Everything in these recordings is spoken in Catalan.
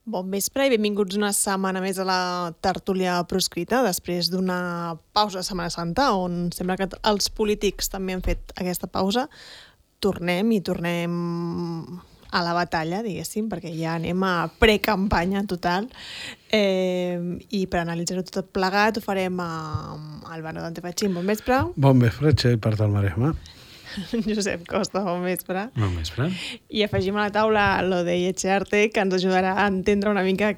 Bon vespre i benvinguts una setmana més a la tertúlia proscrita després d'una pausa de Setmana Santa on sembla que els polítics també han fet aquesta pausa. Tornem a la batalla, diguéssim, perquè ja anem a precampanya total i per analitzar-ho tot plegat ho farem amb Álvaro Dante Fachín. Bon vespre. Bon vespre, Txell, per del Maresme. Josep Costa, bon vespre. Bon vespre. I afegim a la taula l'Odei Etxearte, que ens ajudarà a entendre una mica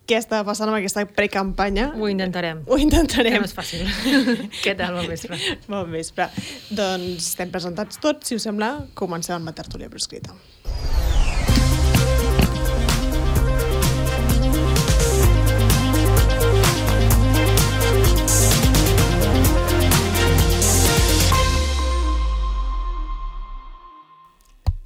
què està passant amb aquesta precampanya. Ho intentarem. Ho intentarem. No és fàcil. Què tal, bon vespre? Bon vespre. Doncs estem presentats tots, si us sembla, comencem amb la tertúlia proscrita.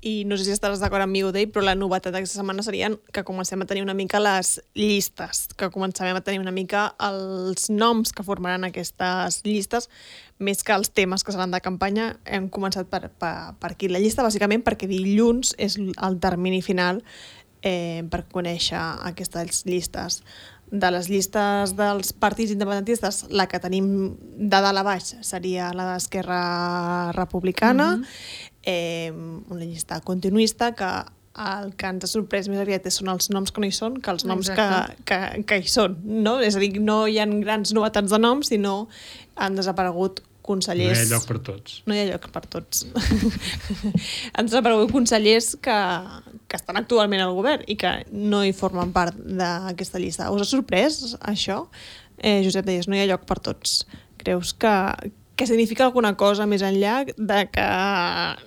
I no sé si estaràs d'acord amb mi, Odei, però la novetat d'aquesta setmana serien que comencem a tenir una mica les llistes, que comencem a tenir una mica els noms que formaran aquestes llistes, més que els temes que seran de campanya. Hem començat per aquí la llista, bàsicament perquè dilluns és el termini final per conèixer aquestes llistes. De les llistes dels partits independentistes, la que tenim de dalt a baix seria la d'Esquerra Republicana, una llista continuista que el que ens ha sorprès més aviat són els noms que no hi són que els noms que hi són, no? És a dir, no hi ha grans novetats de noms, sinó han desaparegut consellers... No hi ha lloc per tots. No hi ha lloc per tots. Han desaparegut consellers que estan actualment al govern i que no hi formen part d'aquesta llista. Us ha sorprès això? Josep, deies, no hi ha lloc per tots. Creus que significa alguna cosa més enllà de que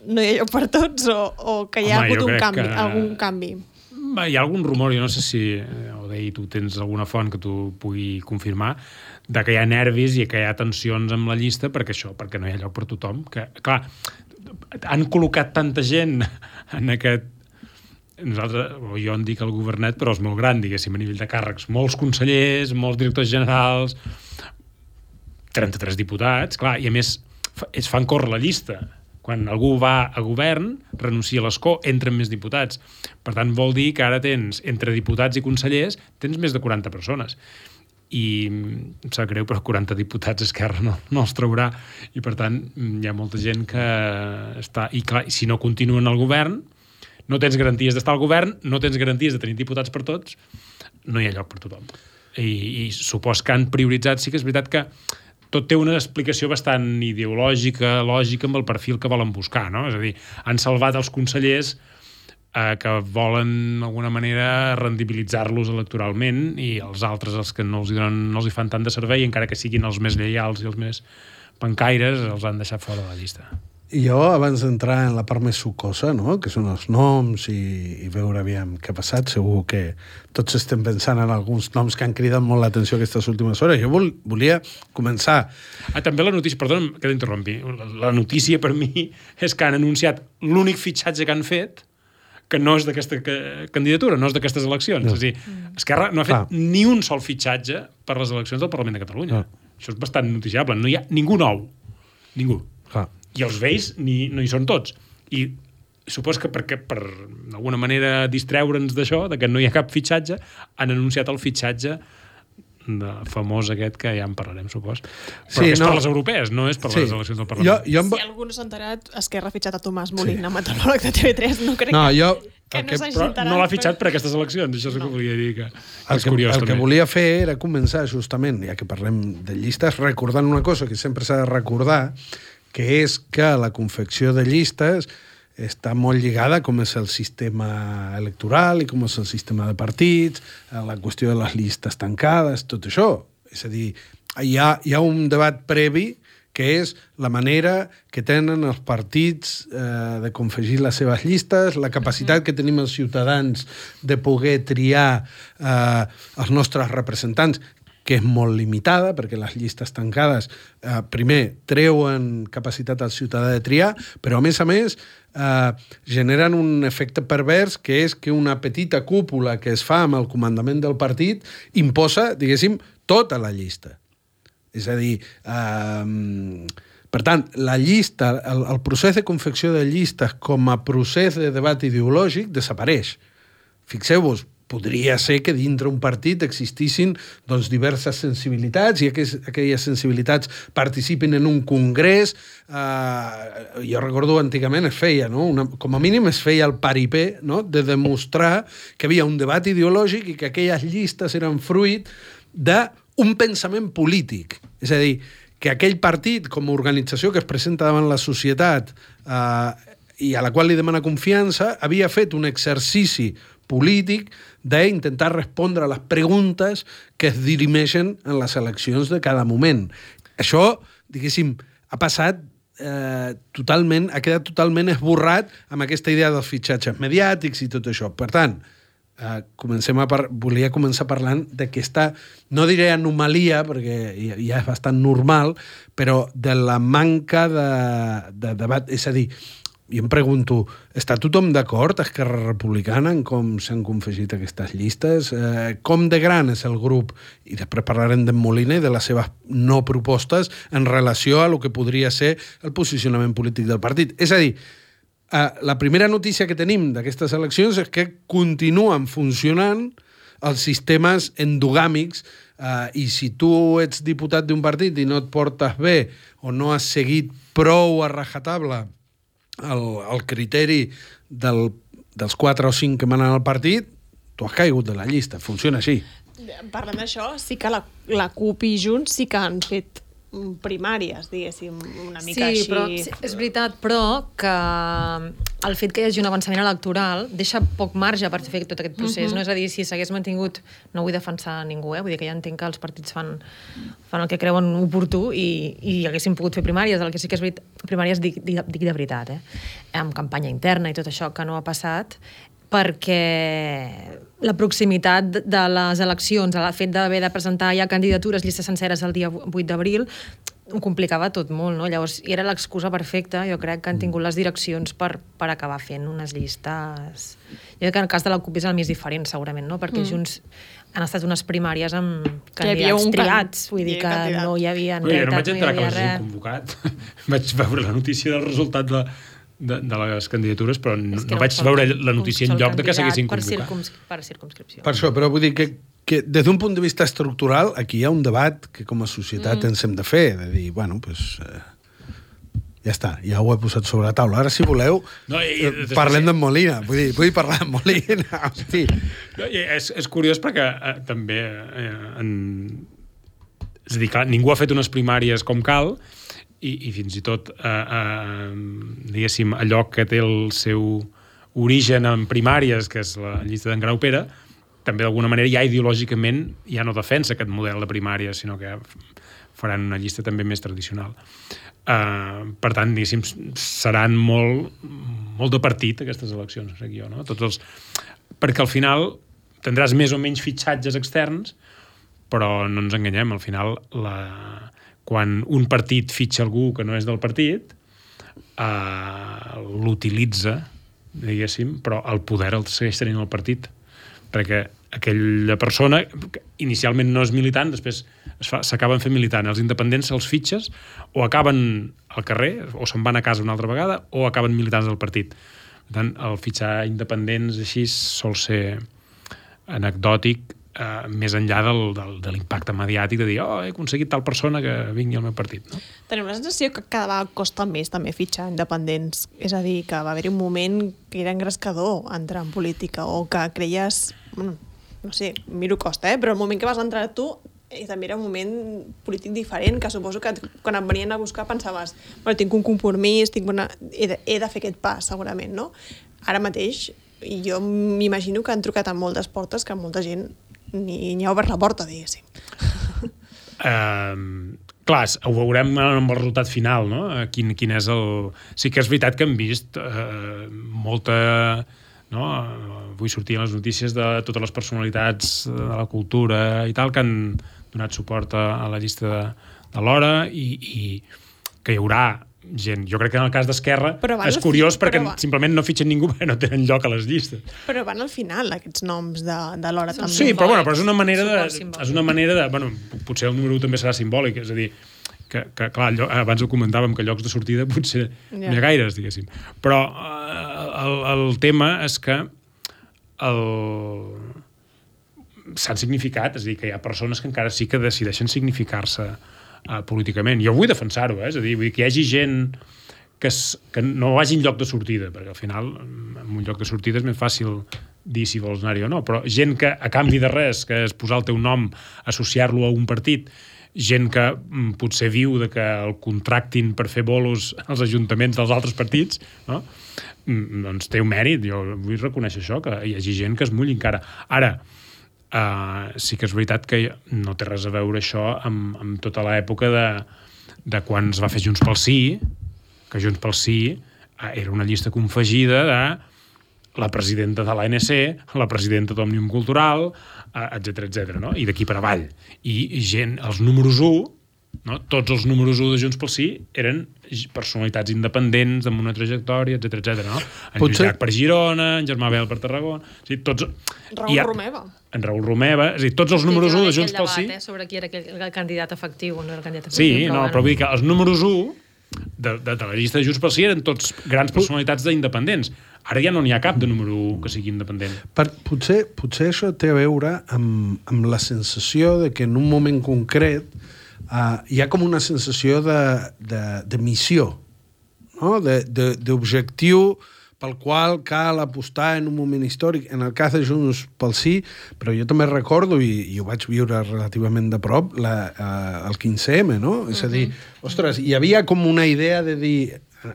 no hi ha lloc per tots o que hi ha hagut algun canvi? Hi ha algun rumor, jo no sé si, Odei, tu tens alguna font que tu pugui confirmar, de que hi ha nervis i que hi ha tensions amb la llista perquè no hi ha lloc per tothom. Que, clar, han col·locat tanta gent en aquest... jo en dic el governet, però és molt gran, diguéssim, a nivell de càrrecs. Molts consellers, molts directors generals, 33 diputats, clar, i a més es fan córrer la llista. Quan algú va a govern, renuncia a l'escó, entren més diputats. Per tant, vol dir que ara tens, entre diputats i consellers, tens més de 40 persones. I em sap greu, però 40 diputats Esquerra no els traurà. I per tant, hi ha molta gent que està... I clar, si no continuen al govern, no tens garanties d'estar al govern, no tens garanties de tenir diputats per tots, no hi ha lloc per tothom. I supos que han prioritzat, sí que és veritat que tot té una explicació bastant ideològica, lògica, amb el perfil que volen buscar, no? És a dir, han salvat els consellers que volen, d'alguna manera, rendibilitzar-los electoralment i els altres, els que no els hi fan tant de servei, encara que siguin els més lleials i els més pencaires, els han deixat fora de la llista. I jo, abans d'entrar en la part més sucosa, no?, que són els noms i veure aviam què ha passat, segur que tots estem pensant en alguns noms que han cridat molt l'atenció aquestes últimes hores. Jo volia començar... També la notícia, perdona que t'interrompi, la notícia per mi és que han anunciat l'únic fitxatge que han fet que no és d'aquesta candidatura, no és d'aquestes eleccions. No. És a dir, Esquerra no ha fet ni un sol fitxatge per les eleccions del Parlament de Catalunya. Això és bastant noticiable. No hi ha ningú nou. Ningú. I els vells no hi són tots. I supos que perquè per d'alguna manera distreure'ns d'això, de que no hi ha cap fitxatge, han anunciat el fitxatge famós aquest que ja en parlarem, supos. Però que és per les europees, no és per les eleccions del Parlament. Si algú no s'ha enterat, Esquerra ha fitxat a Tomàs Molina, meteoròleg de TV3, no crec que no s'hagi enterat. No l'ha fitxat per aquestes eleccions, això és el que volia dir, que és curiós. El que volia fer era començar justament, ja que parlem de llistes, recordant una cosa que sempre s'ha de recordar, que és que la confecció de llistes està molt lligada a com és el sistema electoral i com és el sistema de partits, a la qüestió de les llistes tancades, tot això. És a dir, hi ha un debat previ que és la manera que tenen els partits de confegir les seves llistes, la capacitat que tenim els ciutadans de poder triar els nostres representants, que és molt limitada, perquè les llistes tancades, primer, treuen capacitat al ciutadà de triar, però a més, generen un efecte pervers, que és que una petita cúpula que es fa amb el comandament del partit imposa, diguéssim, tota la llista. És a dir, per tant, la llista, el procés de confecció de llistes com a procés de debat ideològic desapareix. Fixeu-vos, podria ser que dintre un partit existissin doncs, diverses sensibilitats i aquelles sensibilitats participin en un congrés. Jo recordo antigament es feia, no? Com a mínim es feia el paripé, no? De demostrar que havia un debat ideològic i que aquelles llistes eren fruit d'un pensament polític. És a dir, que aquell partit, com a organització que es presenta davant la societat i a la qual li demana confiança, havia fet un exercici polític d'intentar respondre a les preguntes que es dirimeixen en les eleccions de cada moment. Això, diguéssim, ha passat totalment, ha quedat totalment esborrat amb aquesta idea dels fitxatges mediàtics i tot això. Per tant, volia començar parlant d'aquesta, no diré anomalia, perquè ja és bastant normal, però de la manca de debat. És a dir, jo em pregunto, està tothom d'acord, Esquerra Republicana, en com s'han confegit aquestes llistes? Com de gran és el grup? I després parlarem d'en Molina i de les seves no propostes en relació a lo que podria ser el posicionament polític del partit. És a dir, la primera notícia que tenim d'aquestes eleccions és que continuen funcionant els sistemes endogàmics i si tu ets diputat d'un partit i no et portes bé o no has seguit prou a rajatabla el criteri dels 4 o 5 que manen al partit, tu has caigut de la llista. Funciona així. Parlant d'això, sí que la CUP i Junts sí que han fet primàries, diguéssim, una mica així. Però, sí, és veritat, però que el fet que hi hagi un avançament electoral deixa poc marge per fer tot aquest procés, no? És a dir, si s'hagués mantingut, no vull defensar ningú, vull dir que ja entenc que els partits fan el que creuen oportú i haguessin pogut fer primàries, el que sí que és veritat, primàries dic de veritat, amb campanya interna i tot això que no ha passat, perquè la proximitat de les eleccions, el fet d'haver de presentar ja candidatures, llistes senceres el dia 8 d'abril, ho complicava tot molt, no? Llavors, era l'excusa perfecta, jo crec que han tingut les direccions per acabar fent unes llistes. Jo crec que en el cas de la CUP és el més diferent, segurament, no? Perquè Junts han estat unes primàries amb candidats triats, vull dir que no hi havia jo no vaig entrar que l'hagin convocat. Vaig veure la notícia del resultat de les candidatures, però no vaig veure la notícia en lloc de que s'haguessin convocat. Per circumscripció. Per això, però vull dir que des d'un punt de vista estructural aquí hi ha un debat que com a societat ens hem de fer, de dir, bueno, doncs ja està, ja ho he posat sobre la taula. Ara, si voleu, parlem d'en Molina. Vull parlar d'en Molina. Hosti. És curiós perquè també és a dir, clar, ningú ha fet unes primàries com cal i fins i tot diguéssim, allò que té el seu origen en primàries, que és la llista d'en Grau Pere, també d'alguna manera ja ideològicament ja no defensa aquest model de primària, sinó que faran una llista també més tradicional. Per tant, diguéssim, seran molt de partit aquestes eleccions, crec jo, no? Perquè al final tindràs més o menys fitxatges externs, però no ens enganyem, al final quan un partit fitxa algú que no és del partit, l'utilitza, diguéssim, però el poder el segueix tenint el partit, perquè aquella persona inicialment no és militant, després s'acaben fent militant. Els independents se'ls fitxes o acaben al carrer, o se'n van a casa una altra vegada, o acaben militants del partit. Per tant, el fitxar independents així sol ser anecdòtic, més enllà de l'impacte mediàtic de dir, he aconseguit tal persona que vingui al meu partit. No? Tenim la sensació que cada vegada costa més també fitxar independents. És a dir, que va haver-hi un moment que era engrescador entrar en política o que creies, no sé, miro costa, però el moment que vas entrar tu també era un moment polític diferent, que suposo que quan et venien a buscar pensaves, tinc un compromís, he de fer aquest pas, segurament, no? Ara mateix, jo m'imagino que han trucat a moltes portes que molta gent ni ha obert la porta, diguéssim. Clar, ho veurem amb el resultat final, no? Quin és el... Sí que és veritat que hem vist molta... No? Vull sortir a les notícies de totes les personalitats de la cultura i tal que han donat suport a la llista de l'Hora i que hi haurà gent. Jo crec que en el cas d'Esquerra és curiós perquè simplement no fitxen ningú perquè no tenen lloc a les llistes. Però van al final, aquests noms de l'Hora també. Sí, però és una manera de... Bueno, potser el número 1 també serà simbòlic, és a dir, que clar, abans ho comentàvem, que llocs de sortida potser no hi ha gaires, diguéssim. Però el tema és que s'han significat, és a dir, que hi ha persones que encara sí que decideixen significar-se políticament. Jo vull defensar-ho, és a dir, vull que hi hagi gent que no vagi en lloc de sortida, perquè al final en un lloc de sortida és més fàcil dir si vols anar-hi o no, però gent que a canvi de res, que és posar el teu nom, associar-lo a un partit, gent que potser viu de que el contractin per fer bolos als ajuntaments dels altres partits, no? Doncs té un mèrit, jo vull reconèixer això, que hi hagi gent que es mulli encara. Ara, sí que és veritat que no té res a veure això amb tota l'època de quan es va fer Junts pel Sí, que Junts pel Sí era una llista confegida de la presidenta de l'ANC, la presidenta d'Òmnium Cultural, etc, no? I d'aquí per avall. I gent, els números 1, no? Tots els números 1 de Junts pel Sí eren personalitats independents amb una trajectòria, etc, no? En Lluís Llach per Girona, en Germà Bel per Tarragona... O sigui, tots... Romeva. En Raül Romeva, és a dir, tots els números 1 de Junts pel Sí... sobre qui era el candidat efectiu o no era el candidat efectiu. Sí, però vull dir que els números 1 de la llista de Junts pel Sí eren tots grans personalitats d'independents. Ara ja no n'hi ha cap de número 1 que sigui independent. Potser això té a veure amb la sensació de que en un moment concret hi ha com una sensació de missió, no? D'objectiu pel qual cal apostar en un moment històric. En el cas de Junts pel Sí, però jo també recordo, i ho vaig viure relativament de prop, el 15M, no? És a dir, ostres, hi havia com una idea de dir...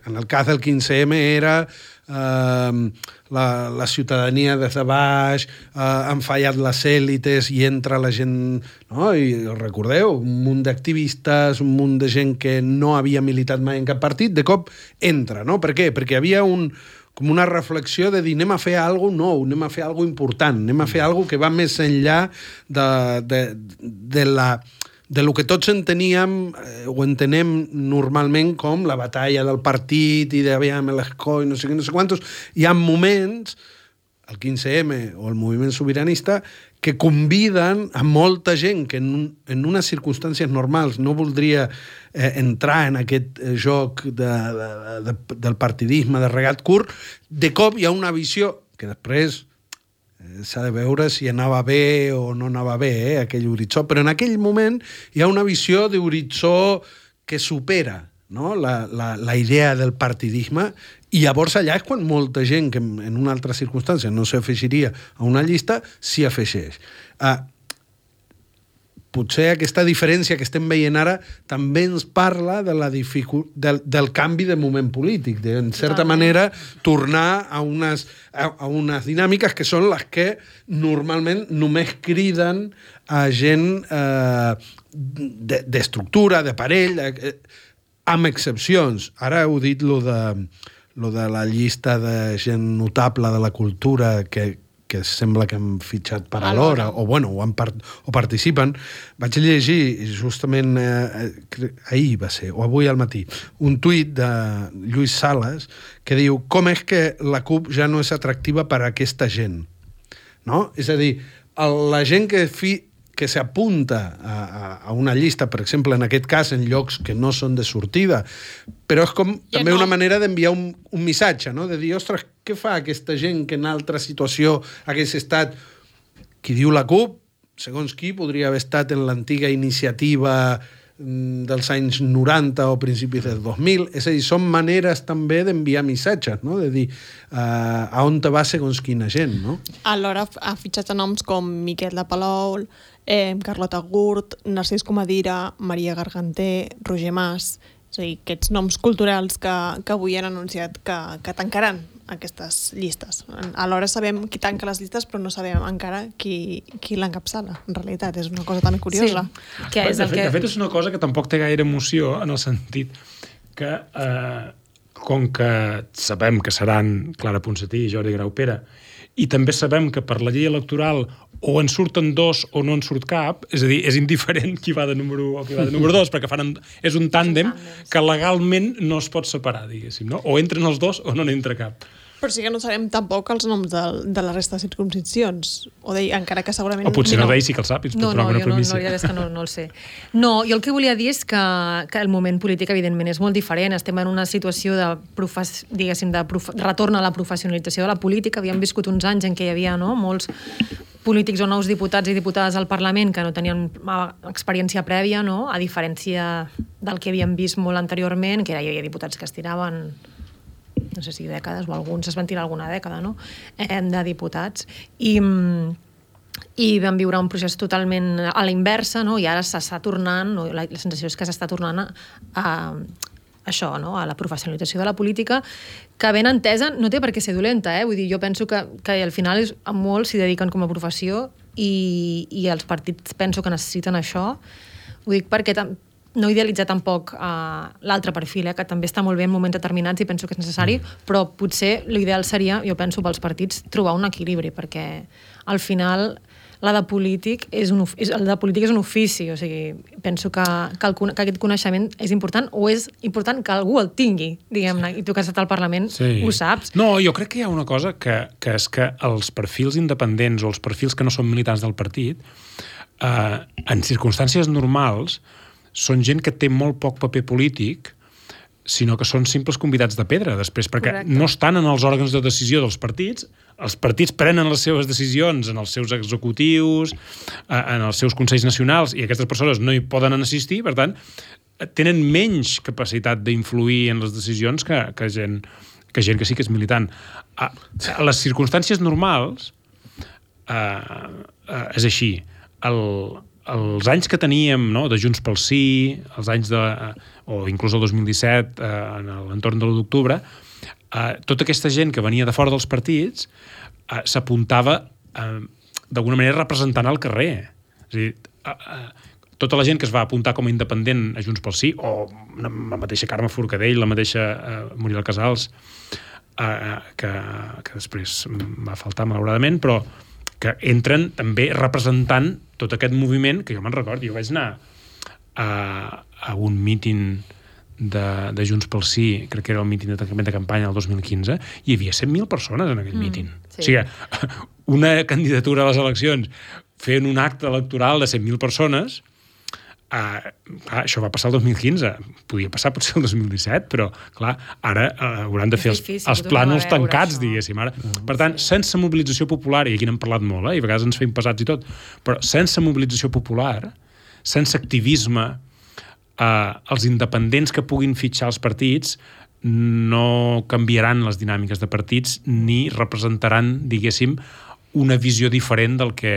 En el cas del 15M era la ciutadania des de baix, han fallat les èlites i entra la gent... No? I recordeu, un munt d'activistes, un munt de gent que no havia militat mai en cap partit, de cop entra, no? Per què? Perquè hi havia com una reflexió de dir anem a fer alguna cosa nou, anem a fer alguna cosa important, anem a fer alguna cosa que va més enllà de lo que tots enteníem o entenem normalment com la batalla del partit i d'aviam l'escó i no sé què, no sé quantos. Hi ha moments, el 15M o el moviment sobiranista, que conviden a molta gent que en unes circumstàncies normals no voldria entrar en aquest joc del partidisme, de regat curt. De cop hi ha una visió que després s'ha de veure si anava bé o no anava bé, aquell horitzó, però en aquell moment hi ha una visió d'horitzó que supera, no? la idea del partidisme, i llavors allà és quan molta gent que en una altra circumstància no s'afegiria a una llista s'hi afegeix. Potser aquesta diferència que estem veient ara també ens parla de del canvi de moment polític, de, en certa manera, tornar a unes dinàmiques que són les que normalment només criden a gent d'estructura, de parell, amb excepcions. Ara heu dit lo de la llista de gent notable de la cultura que sembla que han fitxat per a l'hora, o participen. Vaig llegir justament ahir va ser, o avui al matí, un tuit de Lluís Sales que diu com és que la CUP ja no és atractiva per a aquesta gent. No? És a dir, la gent que s'apunta a una llista, per exemple, en aquest cas, en llocs que no són de sortida, però és com també una manera d'enviar un missatge, no? De dir, ostres, què fa aquesta gent que en altra situació hagués estat... Qui diu la CUP, segons qui, podria haver estat en l'antiga iniciativa dels anys 90 o principis del 2000. És a dir, són maneres també d'enviar missatges, no? De dir a on te va segons quina gent, no? Alhora ha fitxat a noms com Miquel de Palou, Carlota Gurt, Narcís Comadira, Maria Garganter, Roger Mas... És a dir, aquests noms culturals que avui han anunciat que tancaran aquestes llistes. Alhora sabem qui tanca les llistes, però no sabem encara qui l'encapçala. En realitat, és una cosa també curiosa. Sí. De fet, és una cosa que tampoc té gaire emoció, en el sentit que, com que sabem que seran Clara Ponsatí i Jordi Graupera, i també sabem que per la llei electoral o en surten dos o no en surt cap, és a dir, és indiferent qui va de número 1 o qui va de número 2, perquè és un tàndem que legalment no es pot separar, diguéssim, no? O entren els dos o no n'entra cap. Però sí que no sabem tampoc els noms de la resta de circumscripcions. O deia, encara que segurament... O potser no deia sí que el sap, no, jo no el sé. No, jo el que volia dir és que el moment polític, evidentment, és molt diferent. Estem en una situació de retorn a la professionalització de la política. Havíem viscut uns anys en què hi havia molts polítics o nous diputats i diputades al Parlament que no tenien experiència prèvia, no? A diferència del que havíem vist molt anteriorment, que hi havia diputats que es tiraven, no sé si dècades, o alguns es van tirar alguna dècada, no? De diputats. I vam viure un procés totalment a la inversa, no? I ara s'està tornant, no? La sensació és que s'està tornant a això, no? A la professionalització de la política, que ben entesa no té per què ser dolenta, Vull dir, jo penso que al final molts s'hi dediquen com a professió i els partits penso que necessiten això. Ho dic perquè no idealitzar tampoc l'altre perfil, que també està molt bé en moments determinats i penso que és necessari, però potser l'ideal seria, jo penso, pels partits trobar un equilibri, perquè al final el de polític és un ofici, o sigui, penso que aquest coneixement és important, o és important que algú el tingui, diguem-ne, i tu que has estat al Parlament ho saps. No, jo crec que hi ha una cosa que és que els perfils independents o els perfils que no són militants del partit, en circumstàncies normals, són gent que té molt poc paper polític, sinó que són simples convidats de pedra després, perquè no estan en els òrgans de decisió dels partits, els partits prenen les seves decisions en els seus executius, en els seus consells nacionals, i aquestes persones no hi poden assistir, per tant, tenen menys capacitat d'influir en les decisions que gent que sí que és militant. A les circumstàncies normals és així. Els anys que teníem, no, de Junts pel Sí, els anys o inclús el 2017, en l'entorn de l'1 d'octubre, tota aquesta gent que venia de fora dels partits s'apuntava d'alguna manera representant al carrer. És a dir, tota la gent que es va apuntar com a independent a Junts pel Sí, o la mateixa Carme Forcadell, la mateixa Muriel Casals, que després va faltar malauradament, però que entren també representant tot aquest moviment, que jo me'n recordo, jo vaig anar a un míting de Junts pel Sí, crec que era el míting de tancament de campanya el 2015, hi havia 100.000 persones en aquell míting. Sí. O sigui, una candidatura a les eleccions fent un acte electoral de 100.000 persones, això va passar el 2015, podia passar potser el 2017, però clar, ara hauran de fer els plànols tancats, diguéssim. Ara. Per tant, sense mobilització popular, i aquí n'hem parlat molt, i a vegades ens fem pesats i tot, però sense mobilització popular, sense activisme, els independents que puguin fitxar els partits no canviaran les dinàmiques de partits ni representaran, diguéssim, una visió diferent del que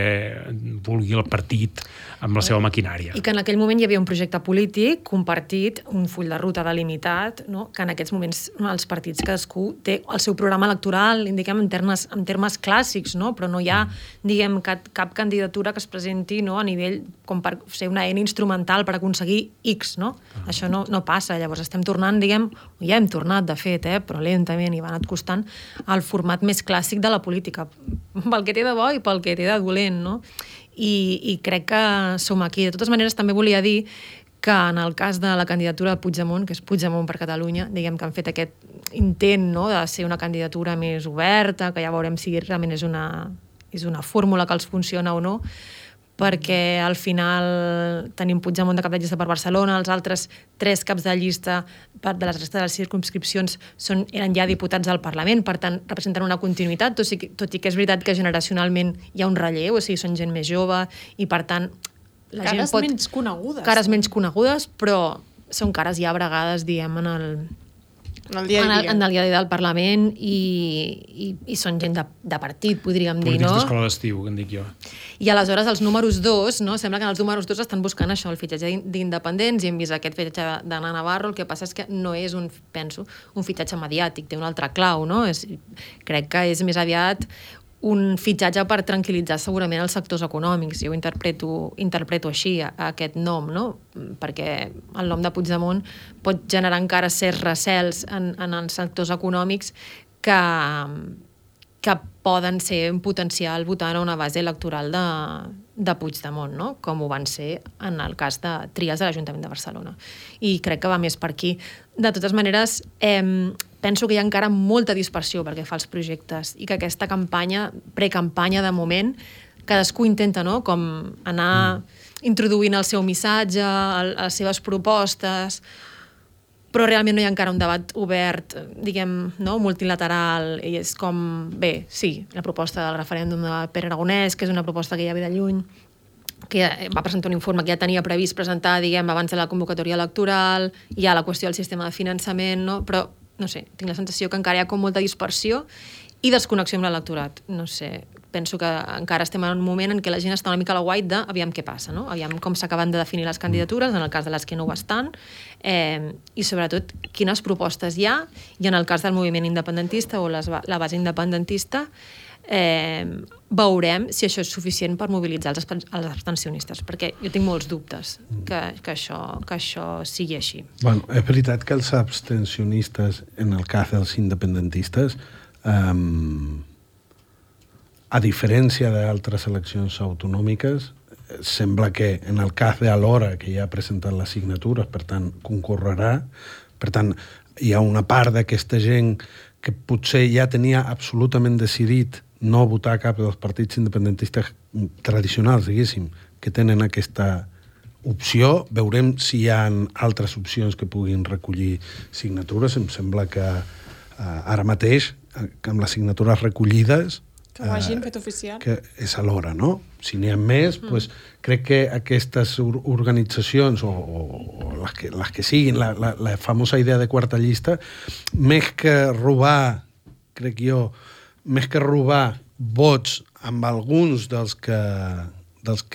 vulgui el partit amb la seva maquinària. I que en aquell moment hi havia un projecte polític compartit, un full de ruta delimitat, no? Que en aquests moments els partits cadascú té el seu programa electoral, indiquem en termes clàssics, no? Però no hi ha, diguem, cap candidatura que es presenti, no? A nivell com per ser una eina instrumental per aconseguir X, no? Això no passa. Llavors estem tornant, diguem, ja hem tornat, de fet, però lentament i va anat costant al format més clàssic de la política, pel que té de bo i pel que té de dolent, no? I crec que som aquí. De totes maneres, també volia dir que en el cas de la candidatura de Puigdemont, que és Puigdemont per Catalunya, diguem que han fet aquest intent, no?, de ser una candidatura més oberta, que ja veurem si realment és una fórmula que els funciona o no, perquè al final tenim Puigdemont de cap de llista per Barcelona, els altres 3 caps de llista de les restes de les circumscripcions eren ja diputats al Parlament, per tant representen una continuïtat, tot i que és veritat que generacionalment hi ha un relleu, o sigui, són gent més jove i per tant la gent pot... menys conegudes. Cares menys conegudes, però són cares ja bregades, diem, en el dia del Parlament i són gent de partit, podríem dir, no? Polítics d'escola d'estiu, que en dic jo. I aleshores els números 2, no? Sembla que els números 2 estan buscant això, el fitxatge d'independents, i hem vist aquest fitxatge d'Anna Navarro, el que passa és que no és un fitxatge mediàtic, té un altre clau, no? Crec que és més aviat un fitxatge per tranquil·litzar segurament els sectors econòmics. Jo ho interpreto així, aquest nom, no? Perquè el nom de Puigdemont pot generar encara certs recels en els sectors econòmics que poden ser un potencial votant a una base electoral de Puigdemont, no? Com ho van ser en el cas de Trias de l'Ajuntament de Barcelona. I crec que va més per aquí. De totes maneres, penso que hi ha encara molta dispersió perquè fa els projectes i que aquesta campanya, precampanya de moment, cadascú intenta, no?, com anar introduint el seu missatge, les seves propostes, però realment no hi ha encara un debat obert, diguem, no, multilateral, i és com, bé, sí, la proposta del referèndum de Pere Aragonès, que és una proposta que ja ve de lluny, que va presentar un informe que ja tenia previst presentar, diguem, abans de la convocatòria electoral, hi ha la qüestió del sistema de finançament, no? Però, no sé, tinc la sensació que encara hi ha com molta dispersió i desconnexió amb l'electorat. No sé, penso que encara estem en un moment en què la gent està una mica a la guait de aviam què passa, no? Aviam com s'acaben de definir les candidatures, en el cas de les que no ho estan, i sobretot quines propostes hi ha, i en el cas del moviment independentista o la base independentista, veurem si això és suficient per mobilitzar els abstencionistes, perquè jo tinc molts dubtes que això sigui així. Bueno, és veritat que els abstencionistes, en el cas dels independentistes, a diferència d'altres eleccions autonòmiques, sembla que en el cas d'Alhora, que ja ha presentat les signatures, per tant, concorrerà, per tant, hi ha una part d'aquesta gent que potser ja tenia absolutament decidit no votar cap dels partits independentistes tradicionals, diguéssim, que tenen aquesta opció. Veurem si hi ha altres opcions que puguin recollir signatures. Em sembla que ara mateix, amb les signatures recollides, que ho hagin fet oficial. Que és a l'hora, no? Si n'hi ha més, doncs, crec que aquestes organitzacions, o les que siguin, la famosa idea de quarta llista, més que robar, crec jo, més que robar vots amb alguns dels que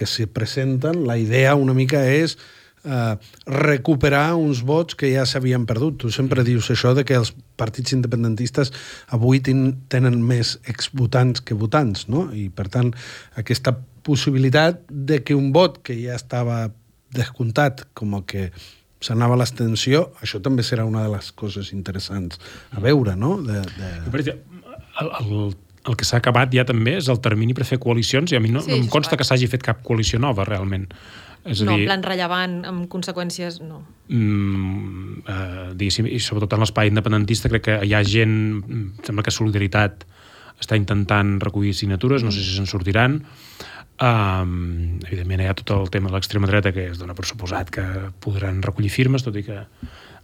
se presenten, la idea una mica és recuperar uns vots que ja s'havien perdut. Tu sempre dius això de que els partits independentistes avui tenen més exvotants que votants, no? I, per tant, aquesta possibilitat de que un vot que ja estava descomptat, com el que s'anava a l'abstenció, això també serà una de les coses interessants a veure, no? El que s'ha acabat ja també és el termini per fer coalicions, i a mi no em consta que s'hagi fet cap coalició nova, realment. És a dir, no, en plan rellevant, amb conseqüències, no. Diguéssim, i sobretot en l'espai independentista crec que hi ha gent, sembla que Solidaritat està intentant recollir signatures, no sé si se'n sortiran. Evidentment hi ha tot el tema de l'extrema dreta, que es dona per suposat que podran recollir firmes, tot i que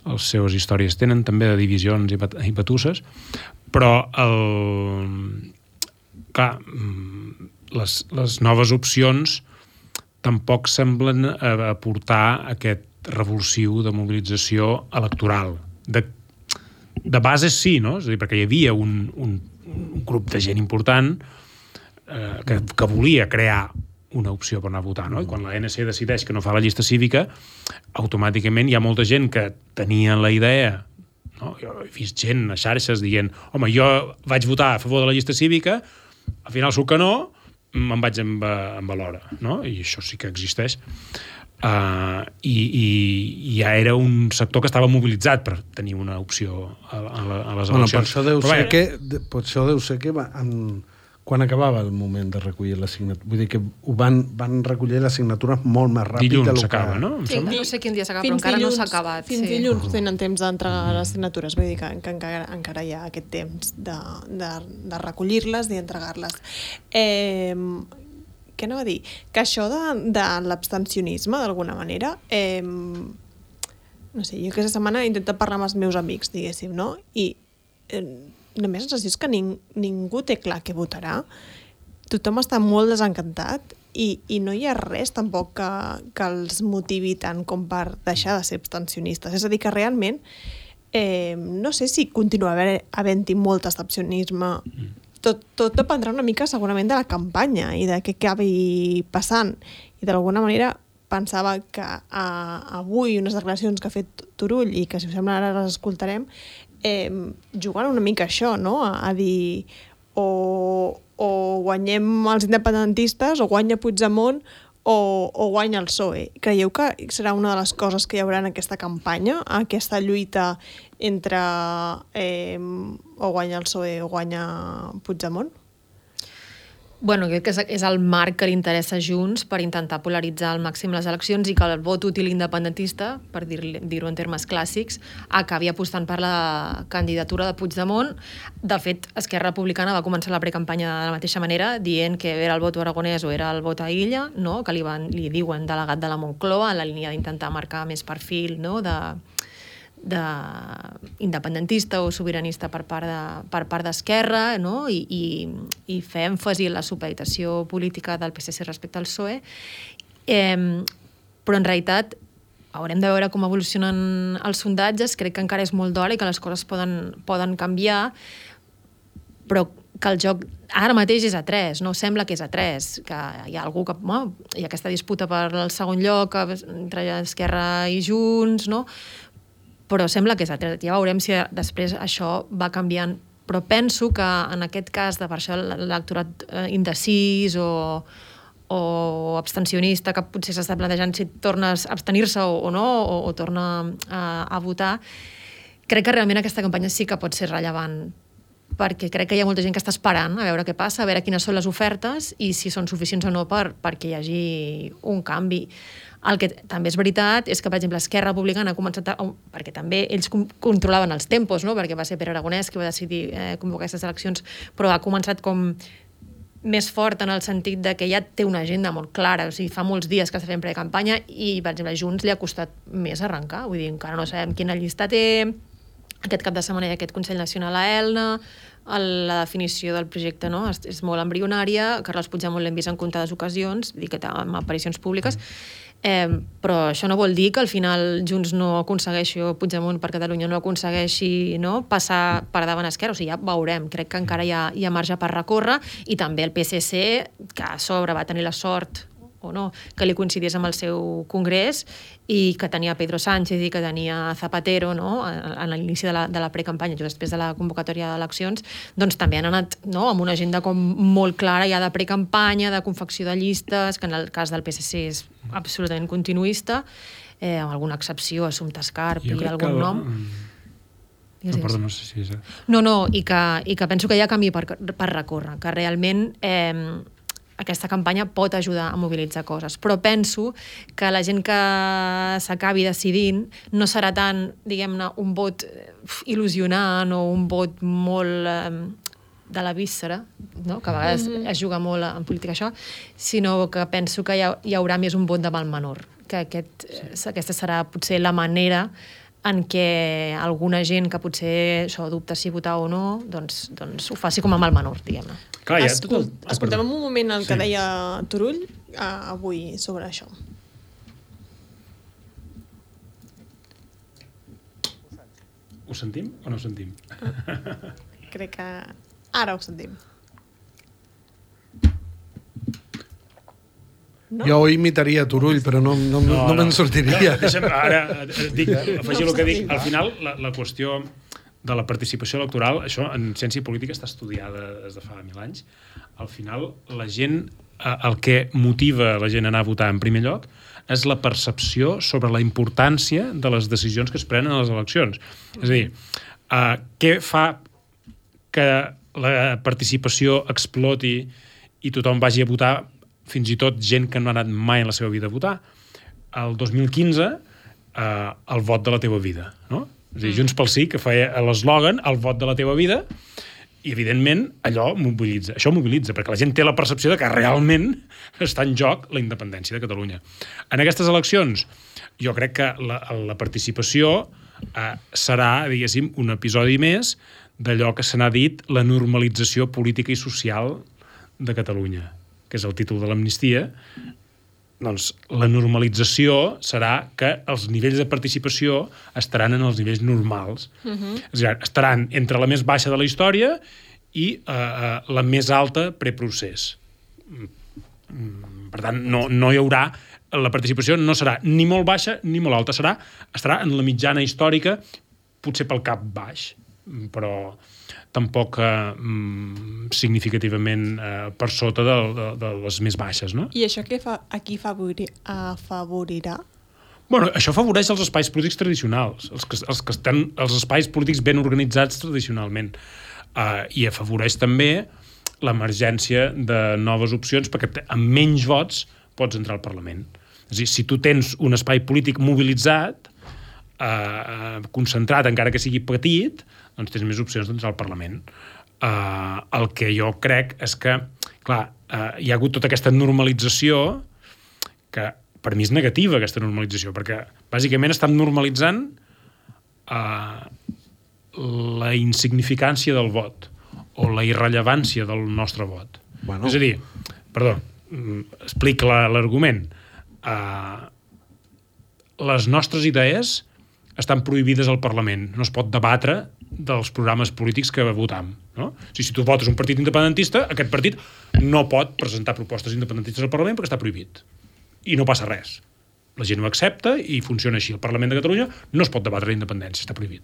les seves històries tenen també de divisions i batusses, però clar, les noves opcions tampoc semblen aportar aquest revulsiu de mobilització electoral. De base sí, no? És a dir, perquè hi havia un grup de gent important que volia crear una opció per anar a votar, no? I quan l'ANC decideix que no fa la llista cívica, automàticament hi ha molta gent que tenia la idea, no? Jo he vist gent a xarxes dient home, jo vaig votar a favor de la llista cívica, al final surt que no, me'n vaig amb l'hora, no? I això sí que existeix. I ja era un sector que estava mobilitzat per tenir una opció a les eleccions. Per això deu ser que quan acabava el moment de recollir la signatura. Vull dir que van recollir les signatures molt més ràpid. Dilluns s'acaba, no? Sí, no sé quin dia s'acaba, però encara no s'ha acabat. Fins dilluns tenen temps d'entregar les signatures. Vull dir que encara hi ha aquest temps de recollir-les i entregar-les. Què anava a dir? Que això de l'abstencionisme, d'alguna manera, no sé, jo aquesta setmana he intentat parlar amb els meus amics, diguéssim, no? I només la sensació és que ningú té clar què votarà. Tothom està molt desencantat i no hi ha res tampoc que els motivi tant com per deixar de ser abstencionistes. És a dir, que realment no sé si continua havent-hi molt abstencionisme. Tot dependrà una mica segurament de la campanya i de què acabi passant. I d'alguna manera pensava que avui unes declaracions que ha fet Turull i que si us sembla ara les escoltarem jugant una mica això, no? A dir o guanyem els independentistes o guanya Puigdemont o guanya el PSOE. Creieu que serà una de les coses que hi haurà en aquesta campanya, aquesta lluita entre o guanya el PSOE o guanya Puigdemont? Bueno, crec que és el marc que li interessa a Junts per intentar polaritzar al màxim les eleccions i que el vot útil independentista, per dir-ho en termes clàssics, acabi apostant per la candidatura de Puigdemont. De fet, Esquerra Republicana va començar la precampanya de la mateixa manera, dient que era el vot aragonès o era el vot a Illa, no? Que li diuen delegat de la Moncloa, en la línia d'intentar marcar més perfil, no? independentista o sobiranista per part d'Esquerra, no? I fer èmfasi en la supeditació política del PSC respecte al PSOE. Però en realitat haurem de veure com evolucionen els sondatges. Crec que encara és molt d'hora i que les coses poden canviar, però que el joc ara mateix és a 3, no sembla que és a 3, que hi ha algú que... hi ha aquesta disputa per el segon lloc entre Esquerra i Junts, no? Però sembla que és a 3. Ja veurem si després això va canviant. Però penso que en aquest cas de per això l'electorat indecis o abstencionista, que potser s'està plantejant si torna a abstenir-se o no, o torna a votar, crec que realment aquesta campanya sí que pot ser rellevant, perquè crec que hi ha molta gent que està esperant a veure què passa, a veure quines són les ofertes i si són suficients o no perquè hi hagi un canvi. El que també és veritat és que, per exemple, Esquerra Republicana ha començat perquè també ells controlaven els tempos, no? Perquè va ser Pere Aragonès qui va decidir convocar aquestes eleccions, però ha començat com més fort en el sentit de que ja té una agenda molt clara, o sigui, fa molts dies que està fent precampanya i, per exemple, a Junts li ha costat més arrencar, vull dir, encara no sabem quina llista té. Aquest cap de setmana hi ha aquest Consell Nacional a Elna, la definició del projecte, no? És molt embrionària, Carles Puigdemont l'hem vist en comptades ocasions, dic que amb aparicions públiques, però això no vol dir que al final Junts no aconsegueixi, o Puigdemont per Catalunya no aconsegueixi, no, passar per davant Esquerra, o sigui, ja veurem, crec que encara hi ha marge per recórrer, i també el PSC, que a sobre va tenir la sort o no, que li coincidís amb el seu congrés i que tenia Pedro Sánchez i que tenia Zapatero, no, a l'inici de la precampanya, just després de la convocatòria d'eleccions, doncs també han anat, no, amb una agenda com molt clara ja de precampanya, de confecció de llistes, que en el cas del PSC és absolutament continuista, amb alguna excepció, Assumpta Escarp i algun nom. No, perdó, no sé si és... No, i que penso que hi ha camí per recórrer, que realment aquesta campanya pot ajudar a mobilitzar coses. Però penso que la gent que s'acabi decidint no serà tant, diguem-ne, un vot il·lusionant o un vot molt de la víscera, no? Que a vegades es juga molt en política això, sinó que penso que hi haurà més un vot de mal menor, que aquesta serà potser la manera en què alguna gent que potser dubta si votar o no, doncs ho faci com a mal menor, diguem-ne. Clar, escoltem un moment el que deia Turull avui sobre això. Ho sentim o no ho sentim? Crec que ara ho sentim. No? Jo imitaria Turull, però no me'n sortiria. Ara afegir el que dic. Al final, la qüestió de la participació electoral, això en ciència política està estudiada des de fa 1000 anys. Al final, la gent, el que motiva la gent a anar a votar en primer lloc és la percepció sobre la importància de les decisions que es prenen a les eleccions. És a dir, què fa que la participació exploti i tothom vagi a votar, fins i tot gent que no ha anat mai en la seva vida a votar? El 2015, el vot de la teva vida, no? És a dir, Junts pel Sí, que feia l'eslògan, el vot de la teva vida, i evidentment allò mobilitza. Això mobilitza, perquè la gent té la percepció de que realment està en joc la independència de Catalunya. En aquestes eleccions, jo crec que la participació serà, diguéssim, un episodi més d'allò que se n'ha dit la normalització política i social de Catalunya, que és el títol de l'amnistia. Doncs la normalització serà que els nivells de participació estaran en els nivells normals. És a dir, estaran entre la més baixa de la història i la més alta preprocés. Per tant, no hi haurà... La participació no serà ni molt baixa ni molt alta. Estarà en la mitjana històrica, potser pel cap baix, però tampoc significativament per sota de les més baixes, no? I això a qui afavorirà? Bueno, això afavoreix els espais polítics tradicionals, els que estan els espais polítics ben organitzats tradicionalment, i afavoreix també l'emergència de noves opcions, perquè amb menys vots pots entrar al Parlament. És a dir, si tu tens un espai polític mobilitzat, concentrat, encara que sigui petit, doncs tens més opcions d'entrar al Parlament. El que jo crec és que, clar, hi ha hagut tota aquesta normalització que per mi és negativa, aquesta normalització, perquè bàsicament estan normalitzant la insignificància del vot o la irrellevància del nostre vot. Bueno. És a dir, perdó, explic l'argument. Les nostres idees estan prohibides al Parlament. No es pot debatre dels programes polítics que votam. No? Si tu votes un partit independentista, aquest partit no pot presentar propostes independentistes al Parlament perquè està prohibit. I no passa res. La gent ho accepta i funciona així. El Parlament de Catalunya no es pot debatre la independència, està prohibit.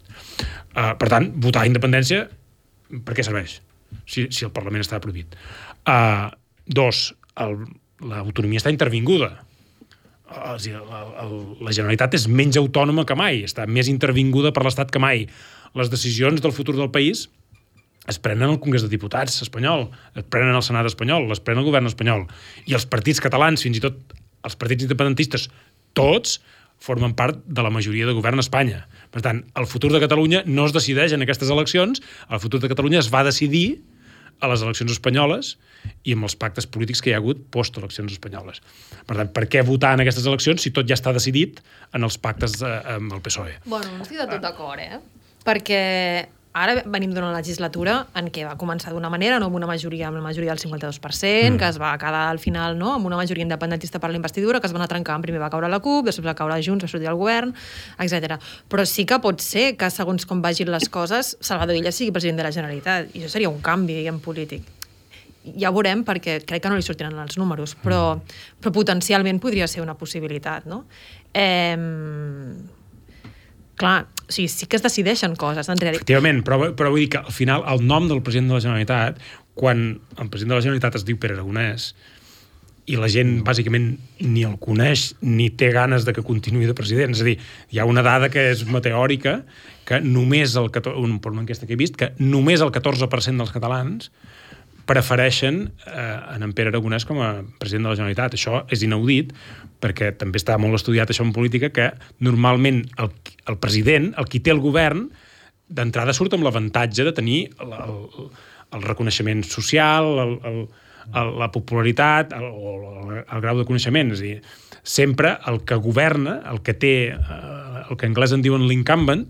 Per tant, votar independència, per què serveix? Si el Parlament està prohibit. Dos, l'autonomia està intervinguda. La Generalitat és menys autònoma que mai, està més intervinguda per l'Estat que mai. Les decisions del futur del país es prenen al Congrés de Diputats espanyol, es prenen al Senat espanyol, es prenen al govern espanyol. I els partits catalans, fins i tot els partits independentistes, tots formen part de la majoria de govern a Espanya. Per tant, el futur de Catalunya no es decideix en aquestes eleccions, el futur de Catalunya es va decidir a les eleccions espanyoles i amb els pactes polítics que hi ha hagut post-eleccions espanyoles. Per tant, per què votar en aquestes eleccions si tot ja està decidit en els pactes amb el PSOE? Bueno, no estic de tot d'acord, Perquè ara venim d'una legislatura en què va començar d'una manera, no amb la majoria del 52%, que es va quedar al final amb una majoria independentista per la investidura, que es va anar trencant. Primer va caure la CUP, després va caure Junts, va sortir el govern, etc. Però sí que pot ser que, segons com vagin les coses, Salvador Illa sigui president de la Generalitat. I això seria un canvi, polític. Ja ho veurem, perquè crec que no li sortiran els números, però potencialment podria ser una possibilitat, no? Clar, o sigui, sí que es decideixen coses. Efectivament, però vull dir que al final el nom del president de la Generalitat, quan el president de la Generalitat es diu Pere Aragonès i la gent bàsicament ni el coneix ni té ganes de que continuï de president, és a dir, hi ha una dada que és meteòrica, que només per una enquesta que he vist, que només el 14% dels catalans prefereixen en Pere Aragonès com a president de la Generalitat. Això és inaudit, perquè també està molt estudiat això en política, que normalment el president, el qui té el govern, d'entrada surt amb l'avantatge de tenir el reconeixement social, la popularitat, el grau de coneixement. És a dir, sempre el que governa, el que té, el que en anglès en diuen l'incumbent,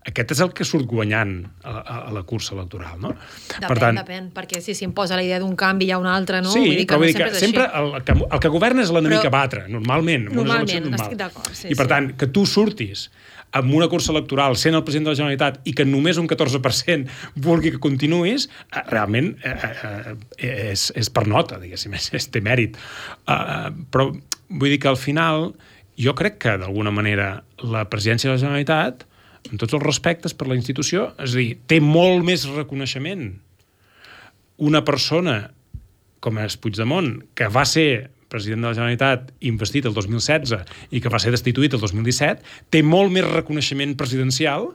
aquest és el que surt guanyant a la cursa electoral, no? Depèn, perquè si s'imposa la idea d'un canvi hi ha un altre, no? Sí, però vull dir que sempre el que governa és l'enemic a batre, normalment. Normalment, estic d'acord. I per tant, que tu surtis amb una cursa electoral sent el president de la Generalitat i que només un 14% vulgui que continuïs, realment és per nota, diguéssim, té mèrit. Però vull dir que al final jo crec que d'alguna manera la presidència de la Generalitat, amb tots els respectes per la institució, és a dir, té molt més reconeixement una persona com és Puigdemont, que va ser president de la Generalitat investit el 2016 i que va ser destituït el 2017, té molt més reconeixement presidencial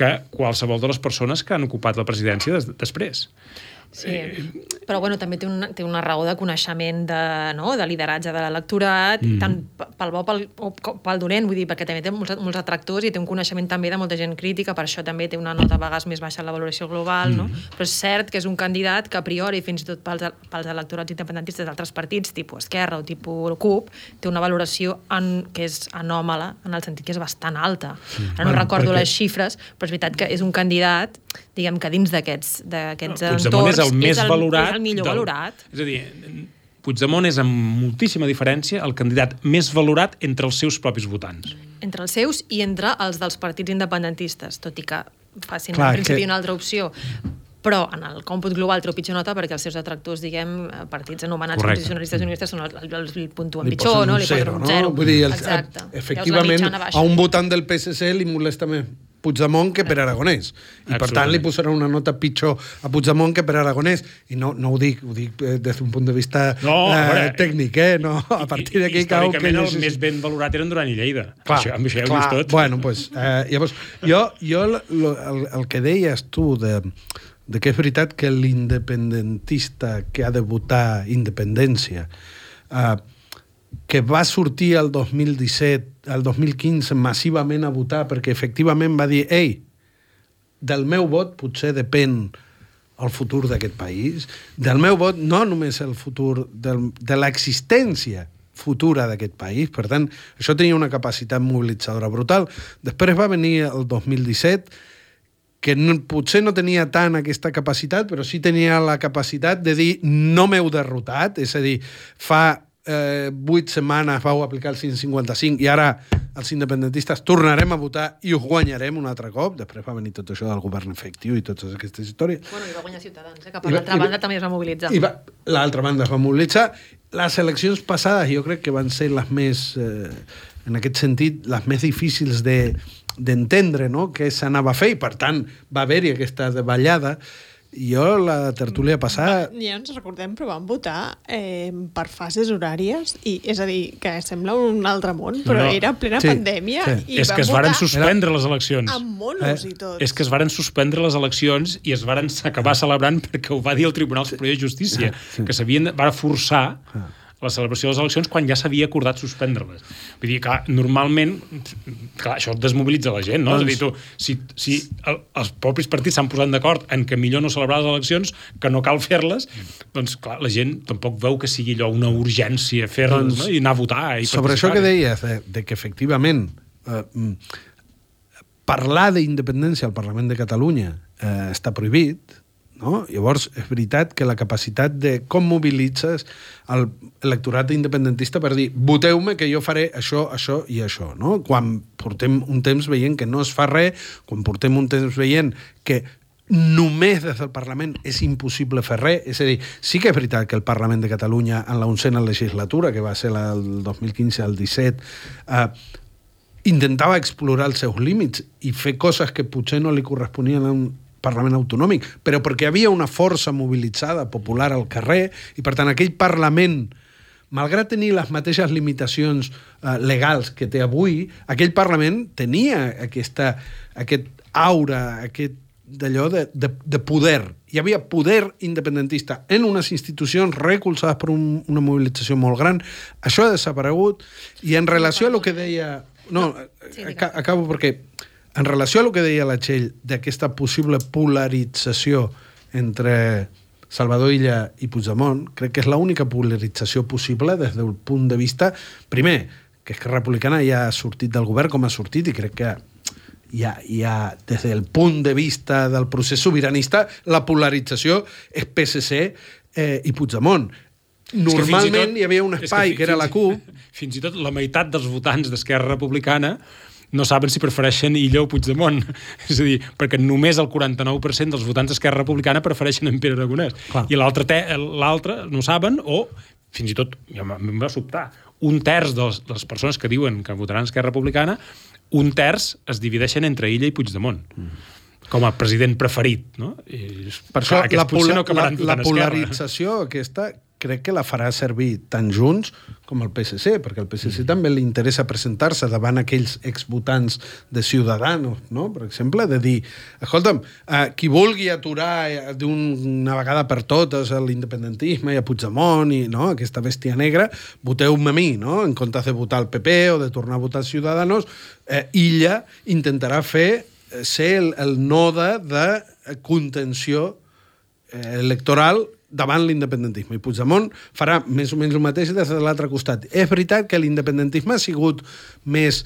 que qualsevol de les persones que han ocupat la presidència després. Sí, però bueno, també té una raó de coneixement de lideratge de l'electorat, tant pel bo com pel dolent, vull dir, perquè també té molts atractors i té un coneixement també de molta gent crítica, per això també té una nota a vegades més baixa en la valoració global, no? Però és cert que és un candidat que a priori, fins i tot pels electorats independentistes d'altres partits, tipus Esquerra o tipus CUP, té una valoració que és anòmala, en el sentit que és bastant alta. Ara no recordo les xifres, però és veritat que és un candidat, diguem que dins d'aquests entorns el més valorat. És el millor valorat. És a dir, Puigdemont és amb moltíssima diferència el candidat més valorat entre els seus propis votants. Entre els seus i entre els dels partits independentistes, tot i que facin en principi una altra opció. Però en el còmput global treu pitjor nota perquè els seus detractors, diguem, partits anomenats constitucionalistes i unionistes els puntuen pitjor, no? Li posen un 0. Vull dir, efectivament, a un votant del PSC li molesta més Puigdemont que per Aragonès. I per tant li posarà una nota pitjor a Puigdemont que per Aragonès. I no ho dic des d'un punt de vista tècnic, no? A partir d'aquí cau que... Històricament el més ben valorat eren Duran i Lleida. Amb això ja ho vist tot. Bueno, doncs, llavors, jo el que deies tu de que és veritat que l'independentista que ha de votar independència que va sortir el 2017, el 2015 massivament a votar perquè efectivament va dir del meu vot potser depèn el futur d'aquest país, del meu vot no només el futur de l'existència futura d'aquest país. Per tant, això tenia una capacitat mobilitzadora brutal. Després va venir el 2017, que potser no tenia tant aquesta capacitat, però sí tenia la capacitat de dir no m'heu derrotat, és a dir, fa 8 setmanes vau aplicar el 155 i ara els independentistes tornarem a votar i us guanyarem un altre cop. Després va venir tot això del govern efectiu i totes aquestes històries. Bueno, i va guanyar Ciutadans, que per l'altra banda també es va mobilitzar. L'altra banda es va mobilitzar. Les eleccions passades jo crec que van ser les més, en aquest sentit, les més difícils d'entendre, no?, què s'anava a fer, i per tant va haver-hi aquesta davallada. Jo, la tertúlia passada... Ja ens recordem, però vam votar per fases horàries, i és a dir, que sembla un altre món, però era plena pandèmia. Sí. I és que es varen suspendre les eleccions. Amb monos i tot. És que es varen suspendre les eleccions i es varen acabar celebrant perquè ho va dir el Tribunal Superior de Justícia, que va forçar la celebració de les eleccions quan ja s'havia acordat suspendre-les. Vull dir, clar, normalment, clar, això desmobilitza la gent, no? És a dir, si els propis partits s'han posat d'acord en que millor no celebrar les eleccions, que no cal fer-les, doncs, clar, la gent tampoc veu que sigui allò una urgència fer-les, no? I anar a votar. I sobre això que deies, de que efectivament parlar d'independència al Parlament de Catalunya està prohibit, no? Llavors, és veritat que la capacitat de com mobilitzes l'electorat independentista per dir voteu-me que jo faré això, això i això, no? Quan portem un temps veient que no es fa res, quan portem un temps veient que només des del Parlament és impossible fer res, és a dir, sí que és veritat que el Parlament de Catalunya en la 11a legislatura, que va ser el 2015 al 17, intentava explorar els seus límits i fer coses que potser no li corresponien a un Parlament autonòmic, però perquè havia una força mobilitzada popular al carrer i, per tant, aquell Parlament, malgrat tenir les mateixes limitacions legals que té avui, aquell Parlament tenia aquest aura, d'allò de poder. Hi havia poder independentista en unes institucions recolzades per una mobilització molt gran. Això ha desaparegut i en relació a lo que deia... No, acabo perquè... En relació a lo que deia la Txell d'aquesta possible polarització entre Salvador Illa i Puigdemont, crec que és l'única polarització possible des del punt de vista, primer, que Esquerra Republicana ja ha sortit del govern com ha sortit i crec que hi ha des del punt de vista del procés sobiranista, la polarització és PSC i Puigdemont. Normalment hi havia un espai que era la CUP. Fins i tot la meitat dels votants d'Esquerra Republicana no saben si prefereixen Illa o Puigdemont. És a dir, perquè només el 49% dels votants d'Esquerra Republicana prefereixen en Pere Aragonès. Clar. I l'altre no saben, o fins i tot, em va sobtar, un terç de les persones que diuen que votaran Esquerra Republicana, un terç es divideixen entre Illa i Puigdemont. Com a president preferit, no? I, per això la polarització aquesta crec que la farà servir tant Junts com el PSC, perquè al PSC també li interessa presentar-se davant aquells exvotants de Ciudadanos, no? Per exemple, de dir, escolta'm, qui vulgui aturar d'una vegada per totes l'independentisme i a Puigdemont i no, aquesta bèstia negra, voteu-me a mi, no? En comptes de votar el PP o de tornar a votar Ciudadanos, Illa intentarà ser el node de contenció electoral davant l'independentisme. I Puigdemont farà més o menys el mateix des de l'altre costat. És veritat que l'independentisme ha sigut més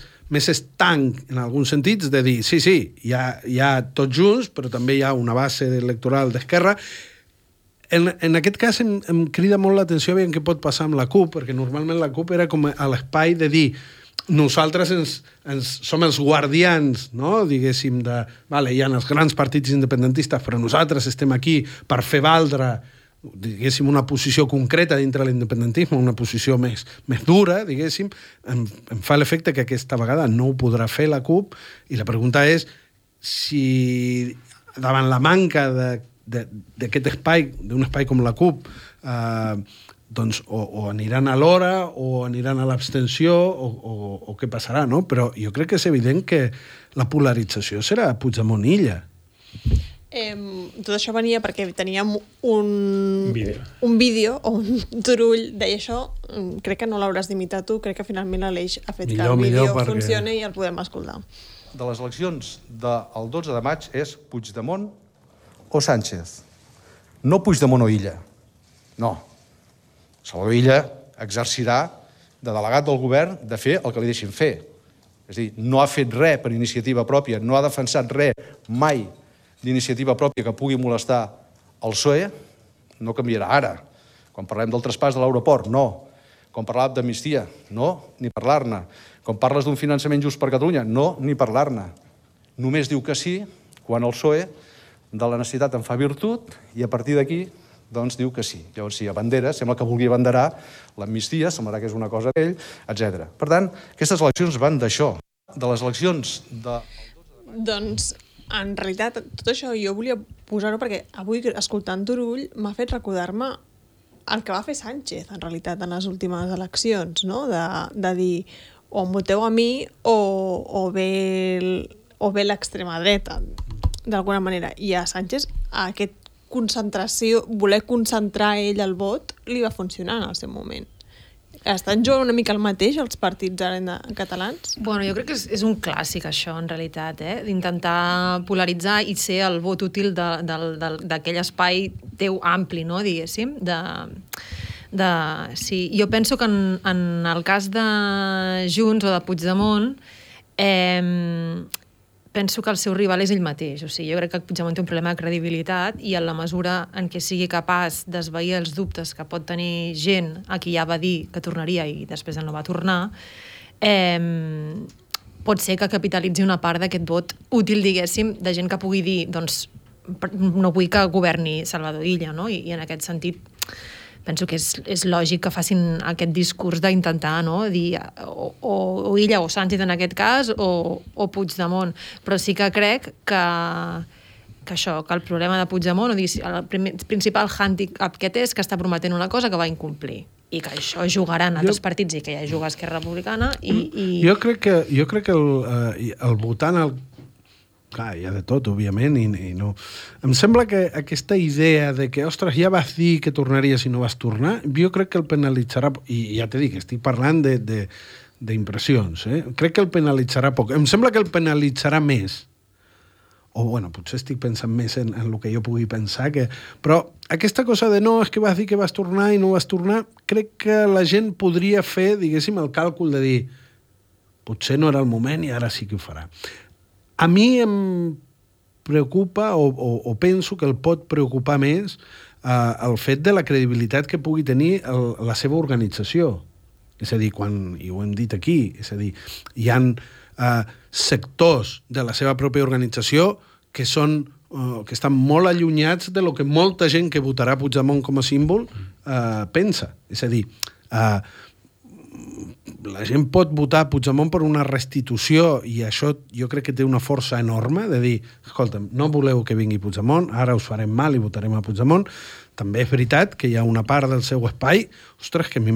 estanc, en alguns sentits, de dir, sí, hi ha tots junts, però també hi ha una base electoral d'Esquerra. En aquest cas em crida molt l'atenció a veure què pot passar amb la CUP, perquè normalment la CUP era com a l'espai de dir nosaltres som els guardians, no? Diguéssim, hi ha els grans partits independentistes, però nosaltres estem aquí per fer valdre, diguéssim, una posició concreta dintre l'independentisme, una posició més dura, diguéssim. Em fa l'efecte que aquesta vegada no ho podrà fer la CUP, i la pregunta és si davant la manca d'aquest espai, d'un espai com la CUP, doncs o aniran a l'hora o aniran a l'abstenció o què passarà, no? Però jo crec que és evident que la polarització serà Puigdemont-Illa. Tot això venia perquè teníem un vídeo o un turull deia això, crec que no l'hauràs d'imitar tu, crec que finalment l'Aleix ha fet que el vídeo funcioni i el podem escoltar. De les eleccions del 12 de maig és Puigdemont o Sánchez. No Puigdemont o Illa. No. Salvador Illa exercirà de delegat del govern de fer el que li deixin fer. És a dir, no ha fet res per iniciativa pròpia, no ha defensat res mai d'iniciativa pròpia que pugui molestar el PSOE, no canviarà ara. Quan parlem del traspàs de l'aeroport, no. Quan parlàvem d'amnistia, no, ni parlar-ne. Quan parles d'un finançament just per Catalunya, no, ni parlar-ne. Només diu que sí quan el PSOE de la necessitat en fa virtut i a partir d'aquí doncs diu que sí. Llavors, si abandera, sembla que vulgui abanderar l'amnistia, semblarà que és una cosa d'ell, etc. Per tant, aquestes eleccions van d'això, de les eleccions de... Doncs, en realitat, tot això jo volia posar-ho perquè avui, escoltant Turull, m'ha fet recordar-me el que va fer Sánchez, en realitat, en les últimes eleccions, no? De dir, o em voteu a mi o bé l'extrema dreta, d'alguna manera. I a Sánchez, aquest concentració, voler concentrar ell el vot, li va funcionar en el seu moment. Estan jugant una mica el mateix els partits ara catalans? Bueno, jo crec que és un clàssic això, en realitat, d'intentar polaritzar i ser el vot útil d'aquell espai teu ampli, no, diguéssim, sí. Jo penso que en el cas de Junts o de Puigdemont penso que el seu rival és ell mateix. O sigui, jo crec que Puigdemont té un problema de credibilitat i en la mesura en què sigui capaç d'esvair els dubtes que pot tenir gent a qui ja va dir que tornaria i després no va tornar, pot ser que capitalitzi una part d'aquest vot útil, diguéssim, de gent que pugui dir, doncs, no vull que governi Salvador Illa, no? I en aquest sentit penso que és lògic que facin aquest discurs d'intentar, no?, dir o Illa o Sánchez en aquest cas o Puigdemont. Però sí que crec que el problema de Puigdemont, el principal handicap que té és que està prometent una cosa que va incomplir i que això jugaran altres partits i que ja juga Esquerra Republicana i... Jo crec que el votant... Clar, hi ha de tot, òbviament, i no... Em sembla que aquesta idea de que, ostres, ja vas dir que tornaries i no vas tornar, jo crec que el penalitzarà... I ja t'he dit, estic parlant d'impressions, Crec que el penalitzarà poc. Em sembla que el penalitzarà més. O, bueno, potser estic pensant més en el que jo pugui pensar, però aquesta cosa de no, és que vas dir que vas tornar i no vas tornar, crec que la gent podria fer, diguéssim, el càlcul de dir potser no era el moment i ara sí que ho farà. A mi em preocupa o penso que el pot preocupar més el fet de la credibilitat que pugui tenir la seva organització. És a dir, i ho hem dit aquí, és a dir, hi ha sectors de la seva pròpia organització que estan molt allunyats de lo que molta gent que votarà Puigdemont com a símbol pensa. És a dir, la gent pot votar Puigdemont per una restitució i això jo crec que té una força enorme de dir, escolta'm, no voleu que vingui Puigdemont, ara us farem mal i votarem a Puigdemont. També és veritat que hi ha una part del seu espai, ostres, que a mi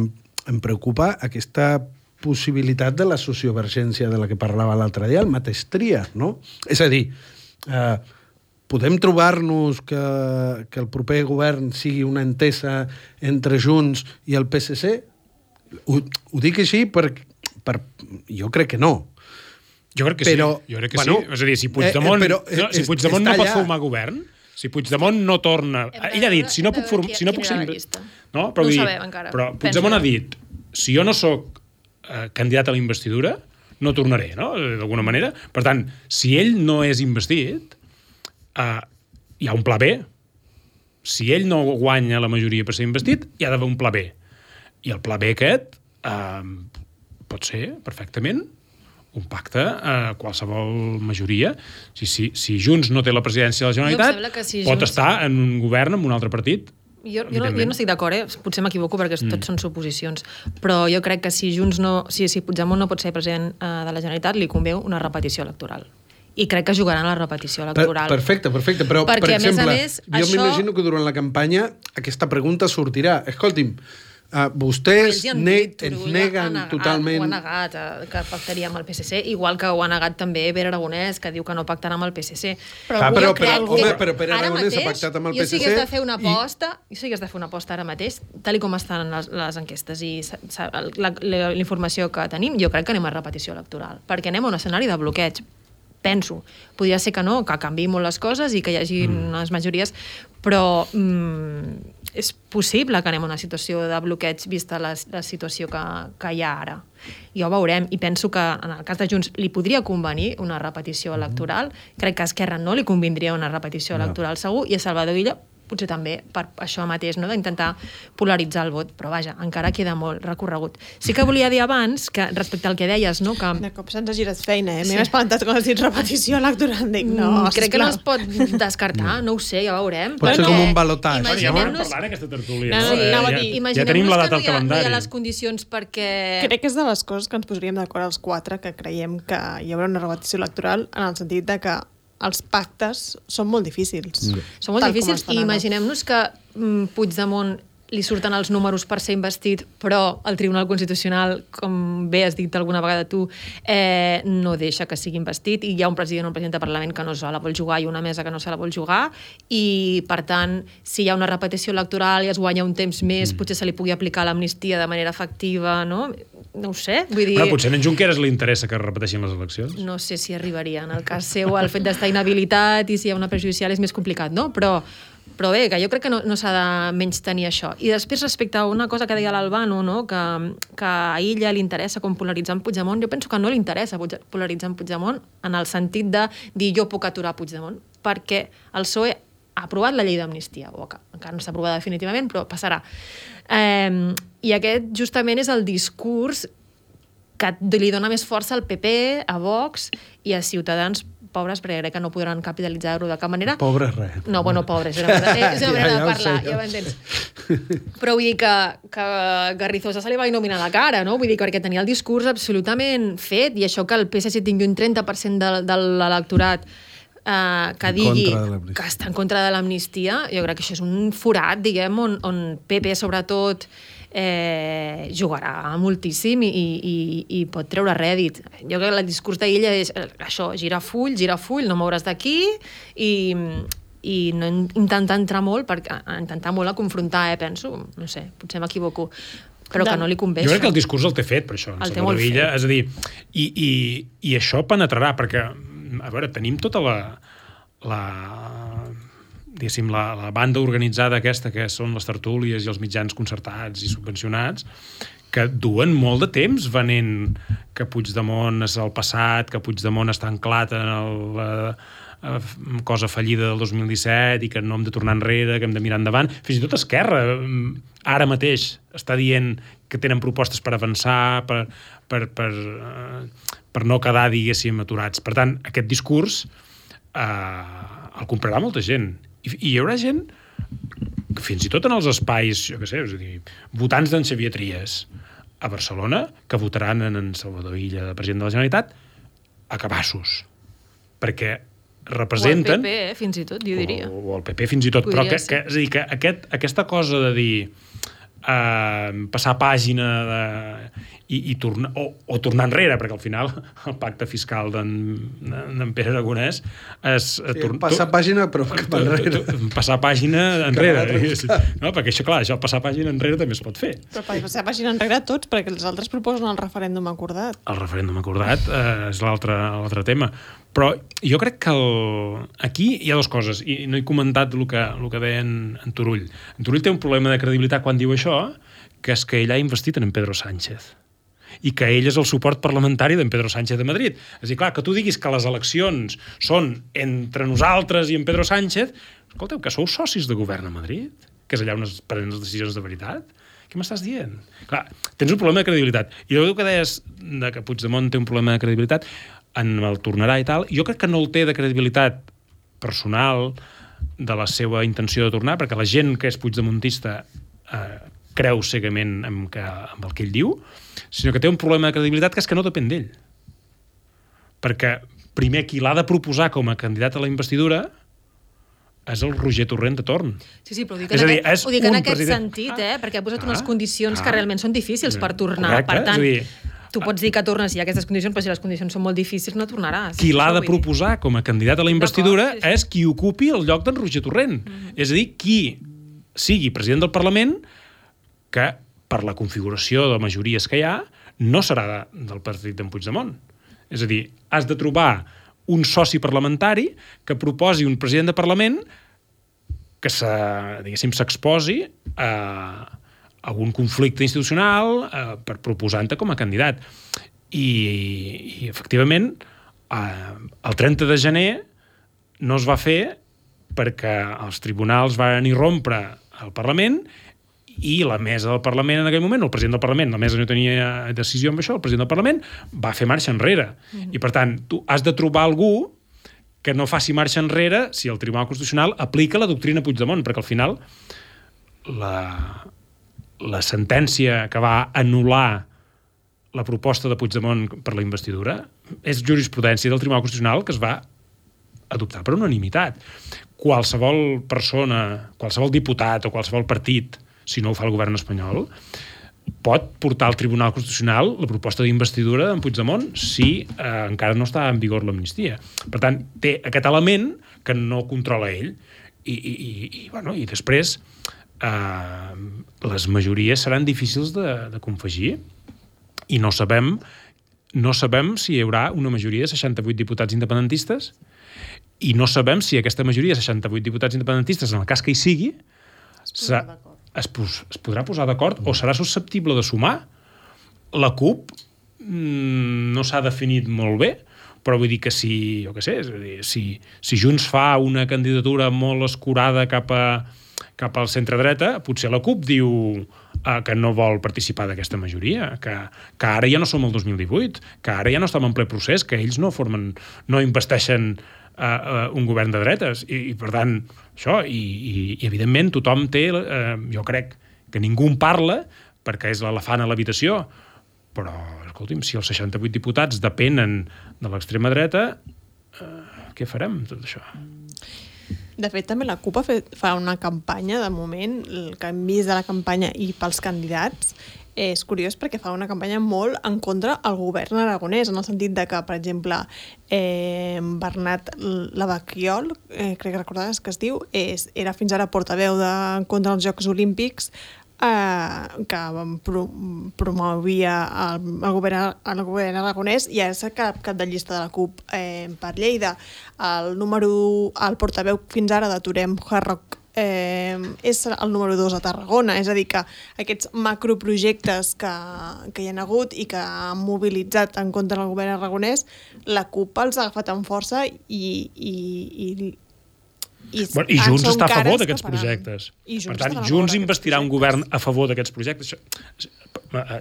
em preocupa aquesta possibilitat de la sociovergència de la que parlava l'altre dia, el mateix tria, no? És a dir, podem trobar-nos que el proper govern sigui una entesa entre Junts i el PSC? Ho dic així jo crec que no. Jo crec que sí. Jo crec que sí. És a dir, si Puigdemont no pot formar govern, si Puigdemont no torna... Ell ha dit, si no puc ser... No ho sabem encara. Però Puigdemont ha dit, si jo no sóc candidat a la investidura, no tornaré, no? D'alguna manera. Per tant, si ell no és investit, hi ha un pla B. Si ell no guanya la majoria per ser investit, hi ha d'haver un pla B. I el pla B aquest pot ser perfectament un pacte a qualsevol majoria. Si Junts no té la presidència de la Generalitat, pot estar en un govern amb un altre partit. Jo no estic d'acord, potser m'equivoco perquè tots són suposicions, però jo crec que si Puigdemont no pot ser president de la Generalitat, li convé una repetició electoral. I crec que jugaran a la repetició electoral. Perfecte, però, perquè, per exemple, jo m'imagino que durant la campanya aquesta pregunta sortirà. Escolti'm, vostès ens neguen totalment... Ho ha negat, que pactaria amb el PSC, igual que ho ha negat també Pere Aragonès, que diu que no pactarà amb el PSC. Però Pere Aragonès ha pactat amb el PSC... Jo sí que has de fer una aposta ara mateix, tal com estan les enquestes i la informació que tenim, jo crec que anem a repetició electoral, perquè anem a un escenari de bloqueig. Penso. Podria ser que no, que canviï molt les coses i que hi hagi unes majories, però és possible que anem a una situació de bloqueig vista la situació que hi ha ara. Ja ho veurem, i penso que en el cas de Junts li podria convenir una repetició electoral, crec que a Esquerra no li convindria una repetició electoral segur, i a Salvador Illa potser també per això mateix, no? D'intentar polaritzar el vot, però vaja, encara queda molt recorregut. Sí que volia dir abans, que respecte al que deies, no? Que... De cop se'ns ha girat feina, M'he espantat quan has dit repetició electoral. Dic, no, crec que no es pot descartar, no ho sé, ja veurem. Pot ser com un balotatge. Ja ho vam parlar en aquesta tertúlia. Ja tenim la data al no calendari. hi ha les condicions perquè... Crec que és de les coses que ens posaríem d'acord els quatre, que creiem que hi haurà una repetició electoral en el sentit de que els pactes són molt difícils. Són molt difícils i imaginem-nos que Puigdemont li surten els números per ser investit, però el Tribunal Constitucional, com bé has dit alguna vegada tu, no deixa que sigui investit, i hi ha un president o un president de Parlament que no se la vol jugar i una mesa que no se la vol jugar, i per tant, si hi ha una repetició electoral i es guanya un temps més, potser se li pugui aplicar l'amnistia de manera efectiva, no? No ho sé, vull dir... Però potser a en Junqueras li interessa que es repeteixin les eleccions. No sé si arribaria. En el cas seu, el fet d'estar inhabilitat i si hi ha una prejudicial és més complicat, no? Però bé, que jo crec que no s'ha de menys tenir això. I després, respecte a una cosa que deia l'Albano, no? que a ella li interessa com polaritzar en Puigdemont, jo penso que no li interessa polaritzar en Puigdemont en el sentit de dir jo puc aturar Puigdemont, perquè el PSOE ha aprovat la llei d'amnistia, o que encara no s'ha aprovada definitivament, però passarà. I aquest justament és el discurs que li dona més força al PP, a Vox i a Ciutadans, pobres, perquè crec que no podran capitalitzar-ho de cap manera. Pobres res. No, bueno, pobres, és una manera de parlar, ja ho entens. Però vull dir que Garrizosa se li va il·luminar la cara, no? Vull dir que perquè tenia el discurs absolutament fet, i això que el PSC tingui un 30% de l'electorat que digui que està en contra de l'amnistia, jo crec que això és un forat, diguem, on PP, sobretot, jugarà moltíssim i pot treure rèdit. Jo crec que el discurs d'ella és això, gira full, no mouràs d'aquí, i no intentar entrar molt, intentar molt a confrontar, penso, no sé, potser m'equivoco, però que no li convé. Jo crec que el discurs el té fet, per això, el té molt fet. És a dir, i això penetrarà, perquè, a veure, tenim tota diguéssim, la banda organitzada aquesta, que són les tertúlies i els mitjans concertats i subvencionats, que duen molt de temps venent que Puigdemont és el passat, que Puigdemont està anclat en la cosa fallida del 2017 i que no hem de tornar enrere, que hem de mirar endavant. Fins i tot Esquerra ara mateix està dient que tenen propostes per avançar, per no quedar, diguéssim, aturats. Per tant, aquest discurs el comprarà molta gent. I hi haurà gent que fins i tot en els espais, jo què sé, és a dir, votants d'en Xavier Trias a Barcelona, que votaran en Salvador Illa de president de la Generalitat a cabassos. Perquè representen... O el PP, fins i tot, jo diria. O el PP, fins i tot. Però és a dir, que aquesta cosa de dir passar pàgina i tornar, o tornar enrere, perquè al final el pacte fiscal d'en Pere Aragonès és... passar pàgina, però cap enrere. Passar pàgina enrere. No, perquè això, clar, passar pàgina enrere també es pot fer. Però passar pàgina enrere tots, perquè els altres proposen el referèndum acordat. El referèndum acordat és l'altre tema. Però jo crec que aquí hi ha dues coses, i no he comentat el que deia en Turull. En Turull té un problema de credibilitat quan diu això, que és que ell ha investit en Pedro Sánchez i que ell és el suport parlamentari d'en Pedro Sánchez de Madrid. És a dir, clar, que tu diguis que les eleccions són entre nosaltres i en Pedro Sánchez, escolteu, que sou socis de govern a Madrid, que és allà on es prenen les decisions de veritat. Què m'estàs dient? Clar, tens un problema de credibilitat. I el que deies que Puigdemont té un problema de credibilitat, en el tornarà i tal, jo crec que no el té de credibilitat personal de la seva intenció de tornar, perquè la gent que és puigdemontista creu cegament amb el que ell diu, sinó que té un problema de credibilitat que és que no depèn d'ell. Perquè primer qui l'ha de proposar com a candidat a la investidura és el Roger Torrent de torn. Sí, però ho dic en aquest sentit, perquè ha posat unes condicions que realment són difícils per tornar. Correcte, per tant, tu pots dir que tornes i hi ha aquestes condicions, però si les condicions són molt difícils no tornaràs. Qui l'ha de proposar com a candidat a la investidura és qui ocupi el lloc d'en Roger Torrent. És a dir, qui sigui president del Parlament que, per la configuració de majories que hi ha, no serà del partit d'en Puigdemont. És a dir, has de trobar un soci parlamentari que proposi un president de Parlament que s'exposi a un conflicte institucional per proposar-te com a candidat. I efectivament, el 30 de gener no es va fer perquè els tribunals van irrompre al Parlament i la mesa del Parlament en aquell moment, el president del Parlament, la mesa no tenia decisió amb això, el president del Parlament va fer marxa enrere. I per tant, tu has de trobar algú que no faci marxa enrere si el Tribunal Constitucional aplica la doctrina Puigdemont, perquè al final la sentència que va anul·lar la proposta de Puigdemont per la investidura és jurisprudència del Tribunal Constitucional que es va adoptar per unanimitat. Qualsevol persona, qualsevol diputat o qualsevol partit, si no ho fa el govern espanyol, pot portar al Tribunal Constitucional la proposta d'investidura d'en Puigdemont si encara no està en vigor l'amnistia. Per tant, té aquest element que no controla ell. I després les majories seran difícils de confegir i no sabem si hi haurà una majoria de 68 diputats independentistes i no sabem si aquesta majoria de 68 diputats independentistes, en el cas que hi sigui, es podrà posar d'acord o serà susceptible de sumar. La CUP no s'ha definit molt bé, però vull dir que si Junts fa una candidatura molt escurada cap al centre-dreta, potser la CUP diu que no vol participar d'aquesta majoria, que ara ja no som el 2018, que ara ja no estem en ple procés, que ells no investeixen un govern de dretes. I per tant, això, i evidentment tothom té, jo crec que ningú en parla perquè és l'elefant a l'habitació, però, escolti'm, si els 68 diputats depenen de l'extrema dreta, què farem, tot això? De fet, també la CUP fa una campanya, de moment, el que hem vist de la campanya i pels candidats, és curiós perquè fa una campanya molt en contra al govern aragonès, en el sentit de que, per exemple, Bernat Lavaquiol, crec que recordaves que es diu, era fins ara portaveu contra els Jocs Olímpics, que promovia el govern aragonès i és cap de llista de la CUP per Lleida. El portaveu fins ara de Torem Harrock és el número 2 a Tarragona, és a dir que aquests macroprojectes que hi ha hagut i que han mobilitzat en contra del govern aragonès, la CUP els ha agafat amb força i Junts està a favor d'aquests projectes. Per tant, Junts investirà un govern a favor d'aquests projectes.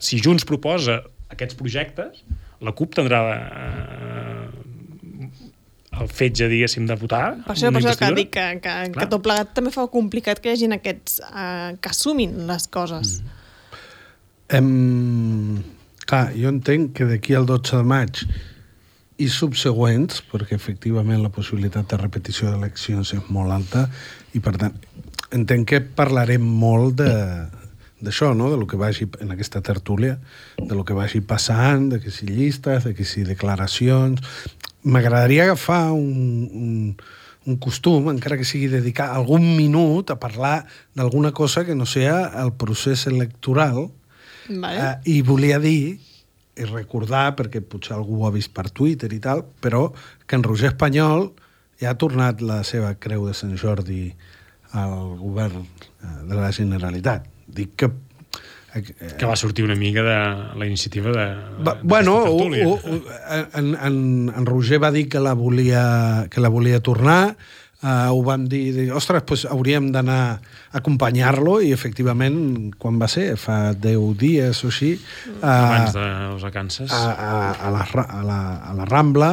Si Junts proposa aquests projectes, la CUP tindrà el fetge, diguéssim, de votar. Per això que dic que tot plegat també fa complicat que hi hagin aquests que assumin les coses. Clar, jo entenc que d'aquí al 12 de maig i subsegüents, perquè efectivament la possibilitat de repetició d'eleccions és molt alta i per tant entenc que parlarem molt d'això, no? De lo que vagi en aquesta tertúlia, de lo que vagi passant, de que si llistes, de que si declaracions. M'agradaria agafar un costum, encara que sigui dedicar algun minut a parlar d'alguna cosa que no sea el procés electoral. Vale. I volia dir i recordar, perquè potser algú ho ha vist per Twitter i tal, però que en Roger Espanyol ja ha tornat la seva creu de Sant Jordi al govern de la Generalitat. Dic que va sortir una mica de la iniciativa de en Roger va dir que la volia tornar, ho vam dir, ostres, doncs hauríem d'anar a acompanyar-lo i efectivament, quan va ser? Fa 10 dies o així, abans de les vacances, a la Rambla,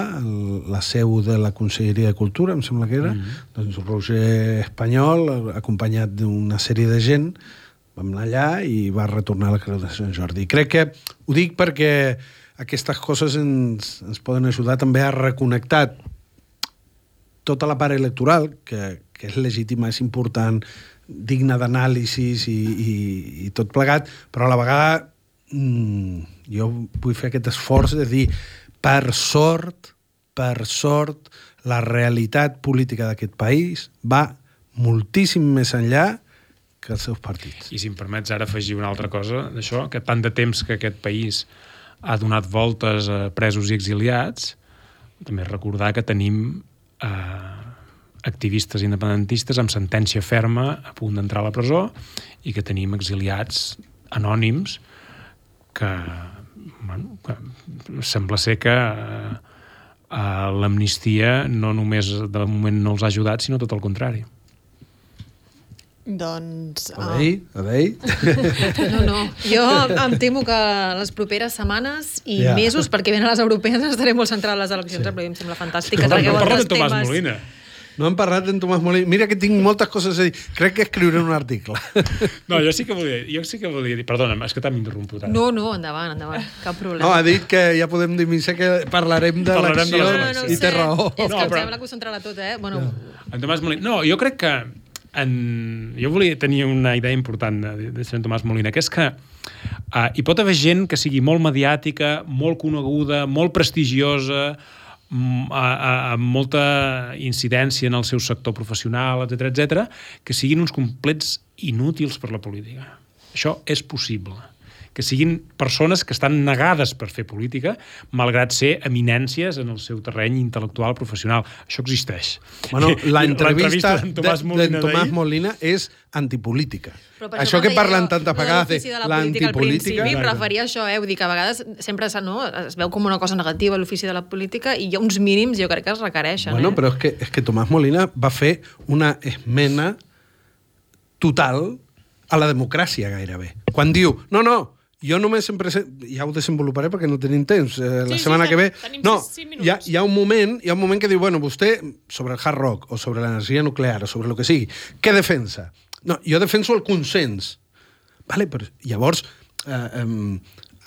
la seu de la Conselleria de Cultura, em sembla que era, doncs Roger Espanyol, acompanyat d'una sèrie de gent, vam anar allà i va retornar a la Creu de Sant Jordi. I crec que ho dic perquè aquestes coses ens poden ajudar també a reconnectar tota la part electoral, que és legítima, és important, digna d'anàlisis i tot plegat, però a la vegada jo vull fer aquest esforç de dir, per sort, la realitat política d'aquest país va moltíssim més enllà que els seus partits. I si em permets ara afegir una altra cosa d'això, que tant de temps que aquest país ha donat voltes a presos i exiliats, també recordar que tenim activistes independentistes amb sentència ferma a punt d'entrar a la presó i que tenim exiliats anònims que sembla ser que l'amnistia no només de moment no els ha ajudat, sinó tot el contrari. Doncs... A veure. No. Jo em temo que les properes setmanes i mesos, perquè venen les europees, estaré molt centrada en les eleccions, però em sembla fantàstic que tragueu altres temes. Tomàs Molina. No hem parlat d'en Tomàs Molina. Mira que tinc moltes coses a dir. Crec que escriuré un article. No, jo sí que volia dir... Perdona'm, és que t'hem interromput. No, endavant. Cap problema. No, ha dit que ja podem dir que parlarem de l'elecció i té raó. És que em sembla que ho centrarà tot, Bueno... En Tomàs Molina... No, jo crec que jo volia tenir una idea important de Sant Tomàs Molina, que és que hi pot haver gent que sigui molt mediàtica, molt coneguda, molt prestigiosa, amb molta incidència en el seu sector professional, etc, que siguin uns complets inútils per la política. Això és possible. Que siguin persones que estan negades per fer política, malgrat ser eminències en el seu terreny intel·lectual professional. Això existeix. Bueno, l'entrevista d'en Tomàs Molina és antipolítica. Això que parlen tantes vegades de l'antipolítica... Al principi referia a això, vull dir que a vegades sempre es veu com una cosa negativa l'ofici de la política i hi ha uns mínims, jo crec que es requereixen. Bueno, però és que Tomàs Molina va fer una esmena total a la democràcia gairebé. Quan diu, no, jo només em presento... Ja ho desenvoluparé perquè no tenim temps. La setmana que ve... No, hi ha un moment que diu, bueno, vostè, sobre el hard rock o sobre l'energia nuclear o sobre el que sigui, què defensa? No, jo defenso el consens. Vale, però llavors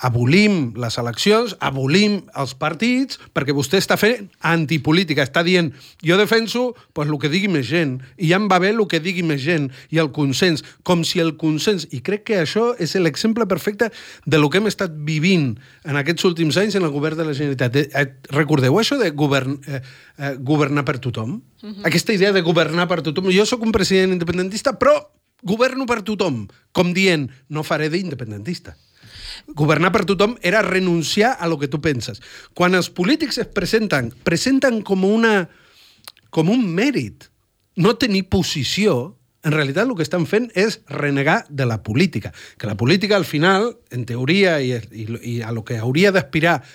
abolim les eleccions, abolim els partits, perquè vostè està fent antipolítica, està dient, jo defenso pues, el que digui més gent, i ja em va bé el que digui més gent, i el consens, com si el consens... I crec que això és l'exemple perfecte de lo que hem estat vivint en aquests últims anys en el govern de la Generalitat. Recordeu això de governar per tothom? Aquesta idea de governar per tothom. Jo sóc un president independentista, però governo per tothom, com dient, no faré d'independentista. Governar per tothom era renunciar a lo que tu penses. Quan els polítics es presenten com un mèrit. No tenir posició, en realitat el que estan fent és renegar de la política. Que la política, al final, en teoria, i a lo que hauria d'aspirar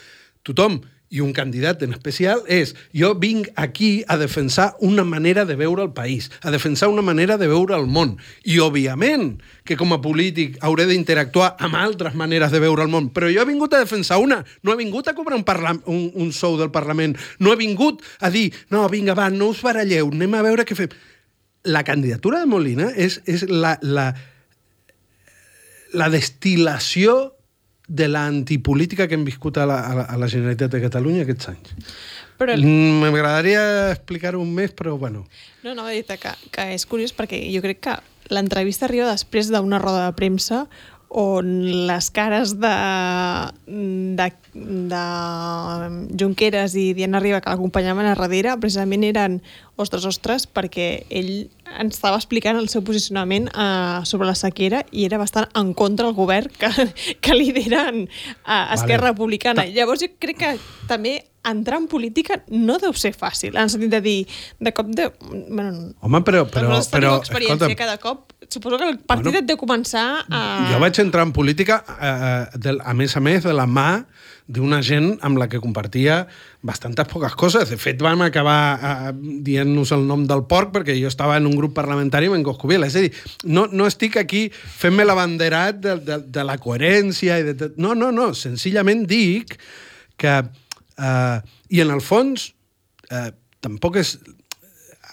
tothom, i un candidat en especial, és jo vinc aquí a defensar una manera de veure el país, a defensar una manera de veure el món. I, òbviament, que com a polític hauré d'interactuar amb altres maneres de veure el món, però jo he vingut a defensar una, no he vingut a cobrar un sou del Parlament, no he vingut a dir, no, vinga, va, no us baralleu, anem a veure què fem. La candidatura de Molina és la destil·lació de l'antipolítica que hem viscut a la Generalitat de Catalunya aquests anys. M'agradaria explicar-ho més, però bueno. No, a dir que és curiós perquè jo crec que l'entrevista arriba després d'una roda de premsa on les cares de Junqueras i Diana Riba que l'acompanyaven a darrere precisament eren ostres, perquè ell ens estava explicant el seu posicionament sobre la sequera i era bastant en contra del govern que lideren Esquerra Republicana. Llavors jo crec que també entrar en política no deu ser fàcil, en el sentit de dir, de cop de... Home, però experiència cada cop, suposo que el partit et deu començar a... Jo vaig entrar en política, a més, de la mà d'una gent amb la que compartia bastantes poques coses. De fet, vam acabar dient-nos el nom del porc perquè jo estava en un grup parlamentari amb en Coscubiela. És a dir, no estic aquí fent-me l'abanderat de la coherència i de... No, senzillament dic que... I en el fons tampoc és...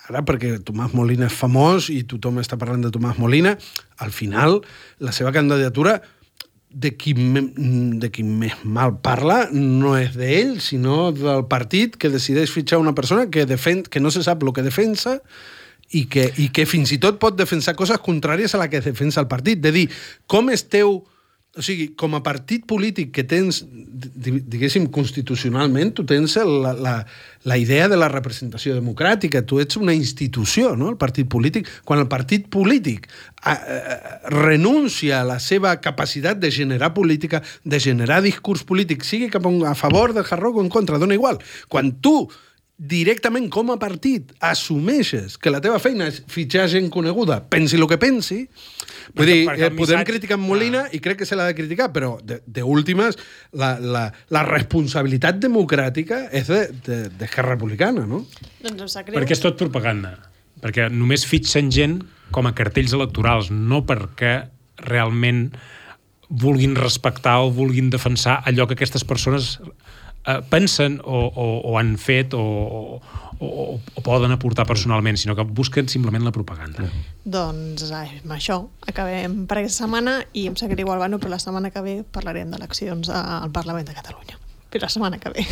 Ara, perquè Tomàs Molina és famós i tothom està parlant de Tomàs Molina, al final la seva candidatura de qui més mal parla no és d'ell, sinó del partit que decideix fitxar una persona que no se sap el que defensa i que fins i tot pot defensar coses contràries a la que defensa el partit. De dir, com esteu... O sigui, com a partit polític que tens, diguéssim, constitucionalment, tu tens la idea de la representació democràtica, tu ets una institució, no?, el partit polític. Quan el partit polític renuncia a la seva capacitat de generar política, de generar discurs polític, sigui a favor del hard rock o en contra, dona igual. Quan tu directament com a partit assumeixes que la teva feina és fitxar gent coneguda, pensi el que pensi, vull dir, podem criticar en Molina i crec que se l'ha de criticar, però d'últimes la responsabilitat democràtica és d'Esquerra Republicana, no? Doncs em sap greu. Perquè és tot propaganda. Perquè només fitxen gent com a cartells electorals, no perquè realment vulguin respectar o vulguin defensar allò que aquestes persones pensen o han fet o poden aportar personalment, sinó que busquen simplement la propaganda. Doncs amb això acabem per aquesta setmana i em sap greu, Albano, però la setmana que ve parlarem d'eleccions al Parlament de Catalunya. Però la setmana que ve.